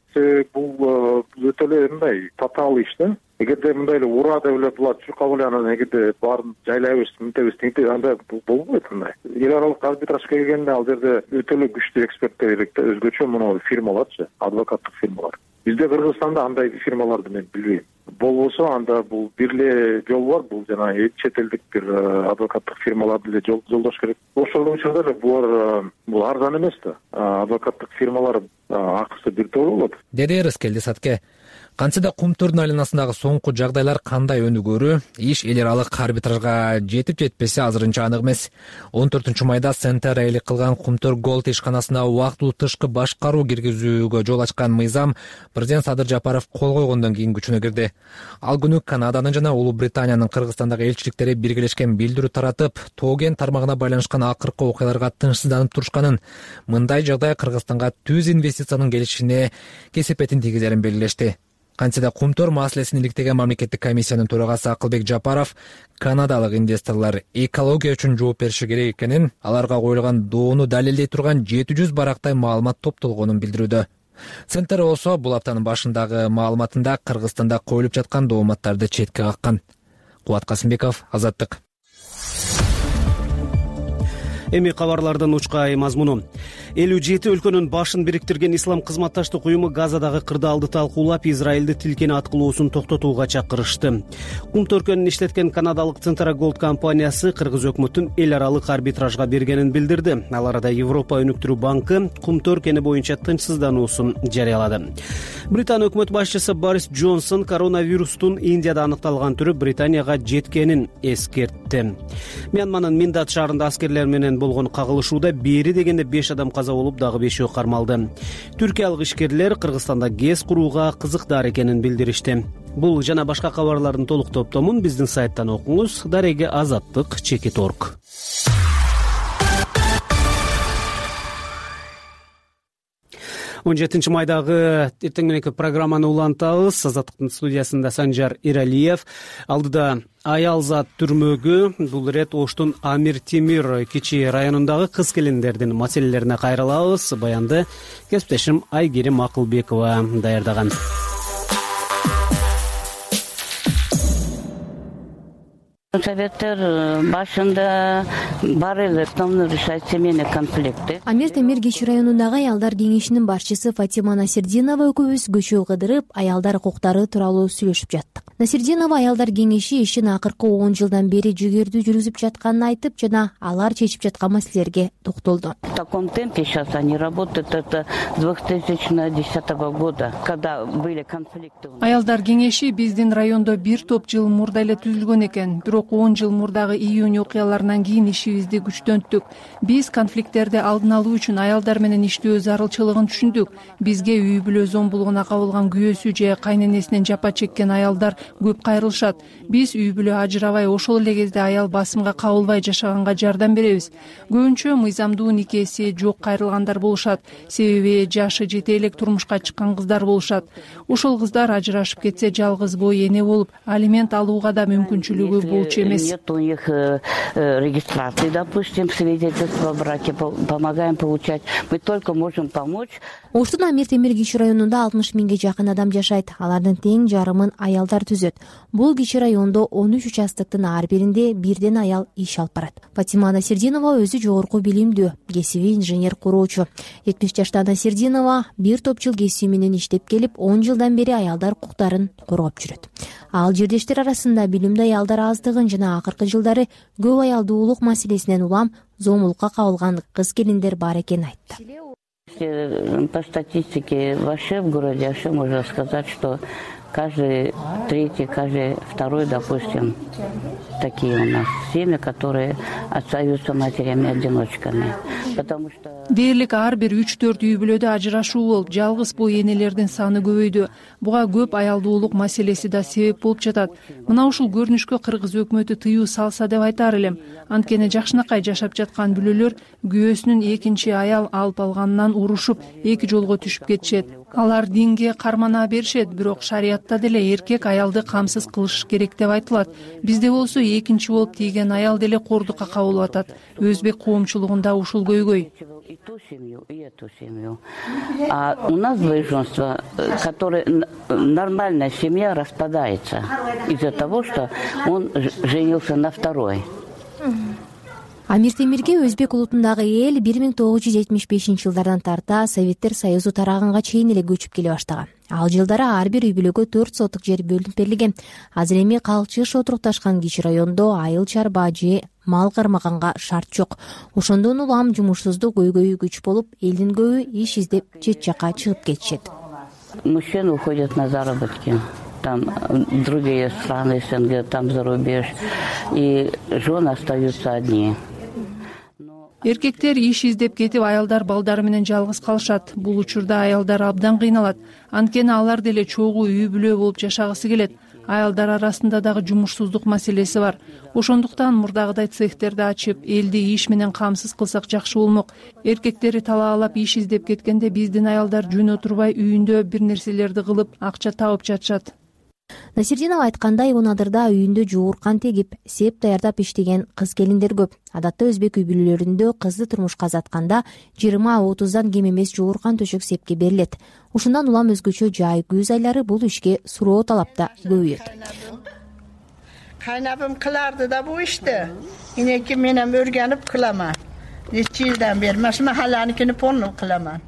Бул өтө эле мындай татаал иш да. Эгерде мындай эле ура деп эле булат чуркап эле анан эгерде баарын жайлайбыз, мынтебиз, тинтебиз, анда болбойт мындай. Эл аралык арбитраж келгенде ал жерде өтө эле күчтүү эксперттер керек да, өзгөчө мына фирмаларчы, адвокаттык фирмалар. Бизде Кыргызстанда андай фирмаларды мен билбейм. Болбосо анда бул бир эле жол бар, бул жана чет элдик бир адвокаттык фирмаларды эле жолдош керек. Ошол учурда эле булар бул арзан эмес да. Адвокаттык фирмалар акысы бир топ болот. Деди Рыскелди Сатке. Кантсе да Кумтөрдүн айланасындагы соңку жагдайлар кандай өнүгөрү, иш эл аралык арбитражга жетип жетпесе азырынча анык эмес. он төртүнчү майда Центр ээлик кылган Кумтөр Голд ишканасына убактылуу тышкы башкаруу киргизүүгө жол ачкан мыйзам президент Садыр Жапаров кол койгондон кийин күчүнө кирди. Ал күнү Канаданын жана Улуу Британиянын Кыргызстандагы элчиликтери биргелешкен билдирүү таратып, Тоген тармагына байланышкан акыркы окуяларга тынчсызданып турушканын, мындай жагдай Кыргызстанга түз инвестициянын келишине кесепетин тийгизерин белгилешти. Кантсе да Кумтөр маселесин иликтеген мамлекеттик комиссиянын төрагасы Акылбек Жапаров канадалык инвесторлор экология үчүн жооп бериши керек экенин, аларга коюлган доону далилдей турган жети жүз барактай маалымат топтолгонун билдирүүдө. Центр болсо бул аптанын башындагы маалыматында Кыргызстанда коюлуп жаткан дооматтарды четке каккан. Кубат Касымбеков, Азаттык. Эми кабарлардын учкай мазмуну. элүү жети өлкөнүн башын бириктирген ислам кызматташтык уюму Газадагы кырдаалды талкуулап, Израилди тилкени аткылоосун токтотууга чакырышты. Кум төркөнүн иштеткен канадалык Центра Голд компаниясы кыргыз өкмөтүн эл аралык арбитражга бергенин билдирди. Ал арада Европа өнүктүрүү банкы кум төркөни боюнча тынчсыздануусун жарыялады. Британ өкмөт башчысы Борис Джонсон коронавирустун Индияда аныкталган түрү Британияга жеткенин эскертти. Мьянманын Миндат шаарында аскерлер менен болгон кагылышууда бери дегенде беш адам каза болуп, дагы бешөө кармалды. Түркиялык ишкерлер Кыргызстанда ГЭС курууга кызыктар экенин билдиришти. Бул жана башка кабарлардын толук топтомун биздин сайттан окуңуз. Дареги азаттык чекит точка орг. он жетинчи майдагы эртең мененки программаны улантабыз. Азаттыктын студиясында Санжар Иралиев. Алдыда аялзат түрмөгү, бул ирет Оштун Амир Темир кичи районундагы кыз келиндердин маселелерине кайрылабыз. Баянды кесиптешим Айгерим Акылбекова даярдаган. Советтер башында бар эле основной решать семейный конфликты. Амир Темир кичи районундагы аялдар кеңешинин башчысы Фатима Насирдинова экөөбүз көчө кыдырып, аялдар укуктары тууралуу сүйлөшүп жаттык. Насирдинова аялдар кеңеши ишин акыркы он жылдан бери жүгөрдүү жүргүзүп жатканын айтып, жана алар чечип жаткан маселелерге токтолду. В таком темпе сейчас они работают, это с две тысячи десятого года, когда были конфликты. Аялдар кеңеши биздин райондо бир топ жыл мурда эле түзүлгөн экен. он жыл мурдагы июнь окуяларынан кийин ишибизди күчтөнттүк. Биз конфликттерди алдын алуу үчүн аялдар менен иштөө зарылчылыгын түшүндүк. Бизге үй бүлө зомбулугуна кабылган күйөөсү же кайненесинен жапа чеккен аялдар көп кайрылышат. Биз үй бүлө ажырабай, ошол эле кезде аял басымга кабылбай жашаганга жардам беребиз. Көбүнчө мыйзамдуу никеси жок кайрылгандар болушат. Себеби жашы жете элек турмушка чыккан кыздар болушат. Ошол кыздар ажырашып кетсе жалгыз бой эне болуп, алимент алууга да мүмкүнчүлүгү болчу. Нет у них э, регистрации, допустим, свидетельства о браке, помогаем получать. Мы только можем помочь. Оштун Амир Темир кичи районунда алтымыш миңге жакын адам жашайт. Алардын тең жарымын аялдар түзөт. Бул кичи райондо он үч участоктун ар биринде бирден аял иш алып барат. Фатима Насирдинова өзү жогорку билимдүү, кесиби инженер куроочу. жетимиш жаштагы Насирдинова бир топ жыл кесиби менен иштеп келип, он жылдан бери аялдар укуктарын коргоп жүрөт. Ал жердештер арасында билимдүү аялдар аздыгын жана акыркы жылдары көп аялдуулук маселесинен улам зомбулукка кабылган кыз келиндер бар экенин айтты. По статистике вообще в городе вообще можно сказать, что каждый третий, каждый второй, допустим, такие у нас семьи, которые остаются матерями-одиночками. Потому что дээрлик ар бир үч төрт үй бүлөдө ажырашуу болуп, жалгыз бой энелердин саны көбөйдү. Буга көп аялдуулук маселеси да себеп болуп жатат. Мына ушул көрүнүшкө кыргыз өкмөтү тыюу салса деп айтар элем. Анткени жакшынакай жашап жаткан бүлөлөр күйөөсүнүн экинчи аял алып алганынан урушуп, эки жолго түшүп кетишет. Алар динге кармана беришет, бирок шариятта деле эркек аялды камсыз кылыш керек деп айтылат. Бизде болсо экинчи болуп тийген аял деле кордукка кабылып атат. Өзбек коомчулугунда ушул көйгөй. И ту семью, и эту семью. А у нас двоеженство, которое нормальная семья распадается из-за того, что он женился на второй. Амир Темирге өзбек улутундагы эл бир миң тогуз жүз жетимиш бешинчи жылдардан тарта Советтер Союзу тараганга чейин эле көчүп келе баштаган. Ал жылдары ар бир үй бүлөгө төрт сотук жер бөлүнүп берилген. Азыр эми калчыш отурукташкан кичи райондо айыл чарба же мал кармаганга шарт жок. Ошондон улам жумушсуздук көйгөйү күч болуп, элдин көбү иш издеп чет жака чыгып кетишет. Мужчины уходят на заработки. Там другие страны СНГ, там зарубеж. И жены остаются одни. Эркектер иш издеп кетип, аялдар балдары менен жалгыз калышат. Бул учурда аялдар абдан кыйналат. Анткени алар деле чогуу үй бүлө болуп жашагысы келет. Аялдар арасында дагы жумушсуздук маселеси бар. Ошондуктан мурдагыдай цехтерди ачып, элди иш менен камсыз кылсак жакшы болмок. Эркектери талаалап иш издеп кеткенде биздин аялдар жөн отурбай үйүндө бир нерселерди кылып, акча табып жатышат. Насирдинова айткандай, Унадырда үйүндө жууркан тегип, сеп даярдап иштеген кыз келиндер көп. Адатта өзбек үй бүлөлөрүндө кызды турмушка азатканда жыйырма отуздан кем эмес жууркан төшөк сепке берилет. Ушундан улам өзгөчө жай күз айлары бул ишке суроо талапта көбөйөт. Кайнабым кыларды да бу ишти. Инеки менен өргөнүп кылама. нече жылдан бери mana shu mahallanikini полный кыламан.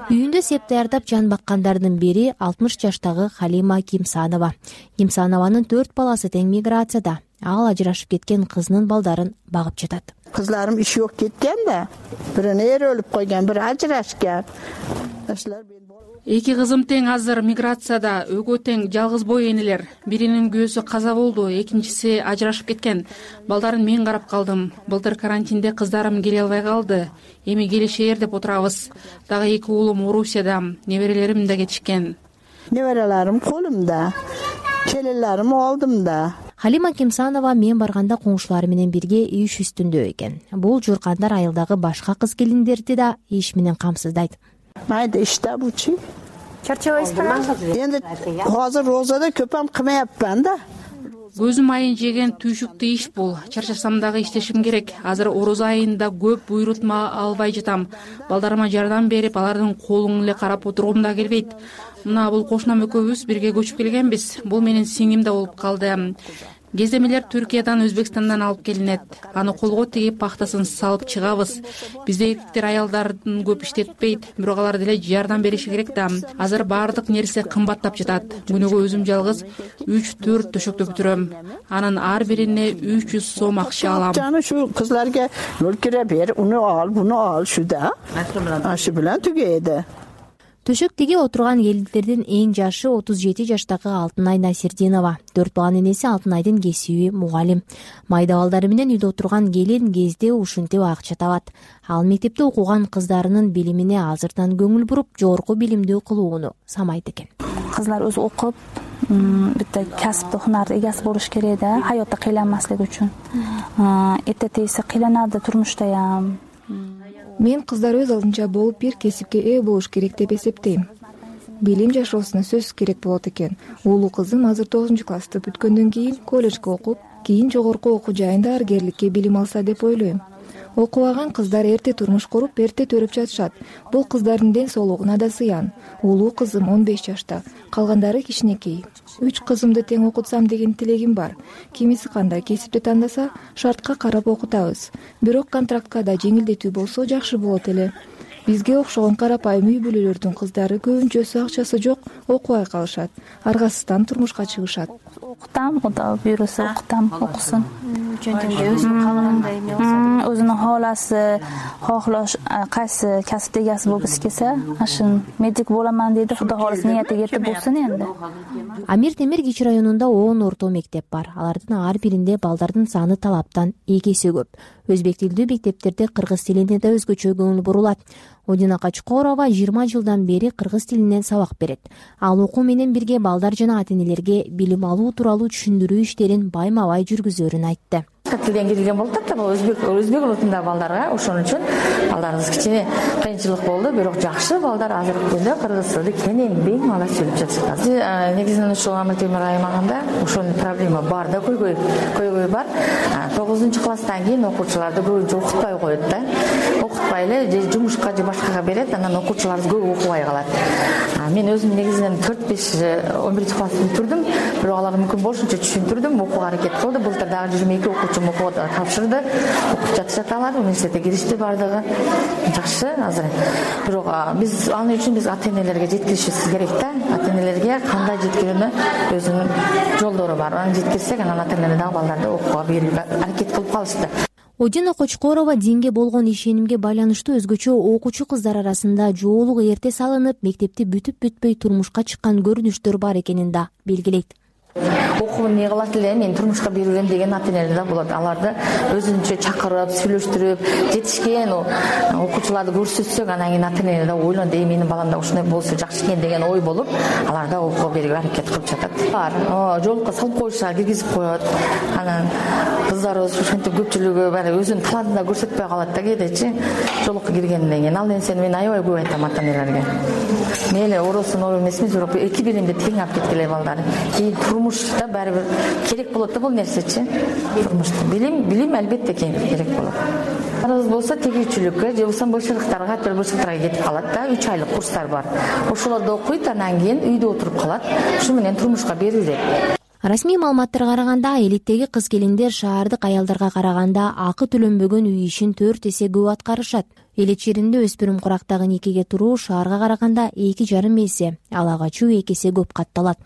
Үйүндө сеп даярдап жан баккандардын бири алтымыш жаштагы Халима Кимсанова. Кимсанованын төрт баласы тең миграцияда. Ал ажырашып кеткен кызынын балдарын багып жатат. Kızlarım iş yok ketken de. Birini er ölüp koygan, biri ajrashgan. Эки кызым тең азыр миграцияда, өгөө тең жалгыз бой энелер. Биринин күйөөсү каза болду, экинчиси ажырашып кеткен. Балдарын мен карап калдым. Былтыр карантинде кыздарым келе албай калды. Эми келишер деп отурабыз. Дагы эки уулум Орусияда, неберелерим да кетишкен. Неберелерим колумда. Келелерим алдымда. Халима Кимсанова мен барганда коңшулары менен бирге иш үстүндө экен. Бул журкандар айылдагы башка кыз келиндерди да иш менен камсыздайт. Майда иште бучу. Чарчабайсызбы? Энди азыр розада көпөм кылмаяпман да. Көзүм айын жеген түйшүктүү иш бул. Чарчасам дагы иштешим керек. Азыр орозо айында көп буйрутма албай жатам. Балдарыма жардам берип, алардын колун эле карап отургум да келбейт. Мына бул кошунам экөөбүз бирге көчүп келгенбиз. Бул менин сиңим да болуп калды. Кездемелер Түркиядан, Өзбекстандан алып келинет. Аны колго тигип пахтасын салып чыгабыз. Бизде эркектер аялдардын көп иштетпейт, бирок алар деле жардам бериши керек да. Азыр баардык нерсе кымбаттап жатат. Күнүгө өзүм жалгыз үч төрт төшөктө бүтүрөм. Анын ар бирине үч жүз сом акча алам. Жана şu кызларга өлкөре бер, уну ал, буну ал, шуда. Ашы менен түгөйдү. Төшөк тиги отурган келиндердин эң жашы отуз жети жаштагы Алтынай Насирдинова. Төрт баланын энеси Алтынайдын кесиби мугалим. Майда балдары менен үйдө отурган келин кезде ушинтип акча табат. Ал мектепте окуган кыздарынын билимине азырдан көңүл буруп, жогорку билимдүү кылууну самайт экен. Кызлар өзү окуп, bitta kasbda hunarda egasi bo'lish kerak da, hayotda qiynalmaslik uchun. Erta tezda qiynaladi turmushda ham. Мен кыздар өз алдынча болуп бир кесипке ээ болуш керек деп эсептейм. Билим жашоосуна сөзсүз керек болот экен. Уулу кызым азыр тогузунчу классты бүткөндөн кийин колледжге окуп, кийин жогорку окуу жайында дарыгерликке билим алса деп ойлойм. Окубаган кыздар эрте турмуш куруп, эрте төрөп жатышат. Бул кыздардын ден соолугуна да зыян. Уулуу кызым он беш жашта, калгандары кичинекей. Үч кызымды тең окутсам деген тилегим бар. Кимиси кандай кесипти тандаса, шартка карап окутабыз. Бирок контрактка да жеңилдетүү болсо жакшы болот эле. Бизге окшогон карапайым үй бүлөлөрдүн кыздары көбүнчөсү акчасы жок, окубай калышат. Аргасыздан турмушка чыгышат. Окутам, Кудай буйруса окутам, окусун. Өзүнүн каалагандай эме болсо, өзүнүн хооласы, хоолош кайсы касып эгеси болгусу келсе, ашын медик боламан дейди, Кудай хооласа ниети кетип болсун энди. Амир Темир Кичи районунда он орто мектеп бар. Алардын ар биринде балдардын саны талаптан эки эсе көп. Өзбек тилдүү мектептерде кыргыз тилине да өзгөчө көңүл бурулат. Одина Качкорова жыйырма жылдан бери кыргыз тилинен сабак берет. Ал окуу менен бирге балдар жана ата-энелерге билим алуу тууралуу түшүндүрүү иштерин байма-бай жүргүзөрүн айтты. Тилден кирген болуп атат да, өзбек өзбек улутундагы балдарга ошон үчүн балдарыбыз кичине кыйынчылык болду, бирок жакшы балдар азыркы күндө кыргыз тилди кенен бең мала сүйлөп жатышат. Негизинен ушул Амир Темир аймагында ошол проблема бар да, көйгөй көйгөй бар. тогузунчу класстан кийин окуучуларды көбүнчө окутпай коет да. Окутпай эле же жумушка же башкага берет, анан окуучулар көп окубай калат. Мен өзүм негизинен төрт беш он биринчи класстын бүтүрдүм, бирок алар мүмкүн болушунча түшүндүрдүм, окууга аракет кылды. Былтыр дагы жыйырма эки окуучум окууга тапшырды, окуп жатышат алар, университетке киришти бардыгы. Жакшы азыр. Бирок биз ал үчүн биз ата-энелерге жеткиришибиз керек да. Ата-энелерге кандай жеткирүүнү өзүнүн жолдору бар. Аны жеткирсек, анан ата-энелер дагы балдарды окууга берүүгө аракет кылып калышты. Одина Кочкорова динге болгон ишенимге байланыштуу өзгөчө окуучу кыздар арасында жоолук эрте салынып, мектепти бүтүп бүтпөй турмушка чыккан көрүнүштөр бар экенин да белгилейт. Окуу эмне кылат эле, мен турмушка берем деген ата-энелер да болот. Аларды өзүнчө чакырып, сүйлөштүрүп, жетишкен окуучуларды көрсөтсөк, анан кийин ата-энелер да ойлонду, "Э, менин балам да ушундай болсо жакшы экен" деген ой болуп, алар да окууга берүүгө аракет кылып жатат. Бар, жолукка салып коюшат, киргизип коет. Анан кыздарыбыз ушинтип көпчүлүгү баары өзүнүн талантын да көрсөтпөй калат да кээдечи. Жолукка киргенден кийин ал нерсени мен аябай көп айтам ата-энелерге. Мейли оросун ой эмесмиз, бирок эки билимди тең алып кеткиле балдар. Кийин турмушта баары бир керек болот да бул нерсечи. Турмушта билим, билим албетте керек болот. Арыз болсо тегүүчүлүккө же болбосо бөлшөктөргө, аттар бөлшөктөргө кетип калат да, үч айлык курстар бар. Ошолорду окуйт, анан кийин үйдө отуруп калат. Ушу менен турмушка берилет. Расмий маалыматтарга караганда элиттеги кыз-келиндер шаардык аялдарга караганда акы төлөнбөгөн үй ишин төрт эсе көп аткарышат. Элит жеринде өспүрүм курактагы никеге туруу шаарга караганда эки жарым эсе, ал ага чуу эки эсе көп катталат.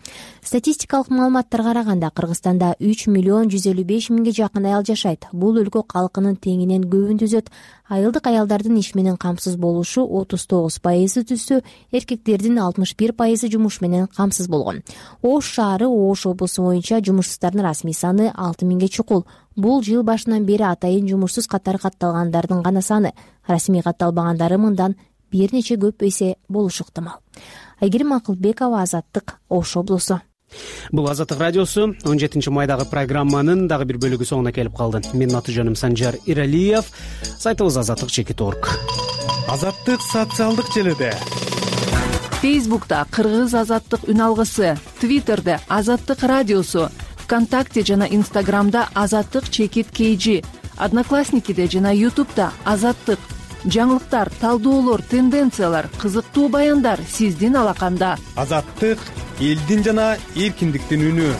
Статистикалык маалыматтарга караганда Кыргызстанда үч миллион жүз элүү беш миңге жакын аял жашайт. Бул өлкө калкынын теңинен көбүн түзөт. Айылдык аялдардын иш менен камсыз болушу отуз тогуз пайызы түзсө, эркектердин алтымыш бир пайызы жумуш менен камсыз болгон. Ош шаары Ош облусу боюнча жумушсуздардын расмий саны алты миңге чукул. Бул жыл башынан бери атайын жумушсуз катары катталгандардын гана саны. Расмий катталбагандары мындан бир нече көп эсе болушу ыктымал. Айгерим Акылбекова, Азаттык, Ош облусу. Бул Азаттык радиосу он жетинчи майдагы программанын дагы бир бөлүгү соңуна келип калды. Менин аты жөнүм Санжар Иралиев. Сайтыбыз азаттык чекит точка орг. Азаттык социалдык желеде. Фейсбукта Кыргыз азаттык үн алгысы, Твиттерде Азаттык радиосу, ВКонтакте жана Инстаграмда Азаттык чекит kg, Одноклассникиде жана Ютубта Азаттык. Жаңылыктар, талдоолор, тенденциялар, кызыктуу баяндар сиздин алаканда. Азаттык элдин жана эркиндиктин үнү.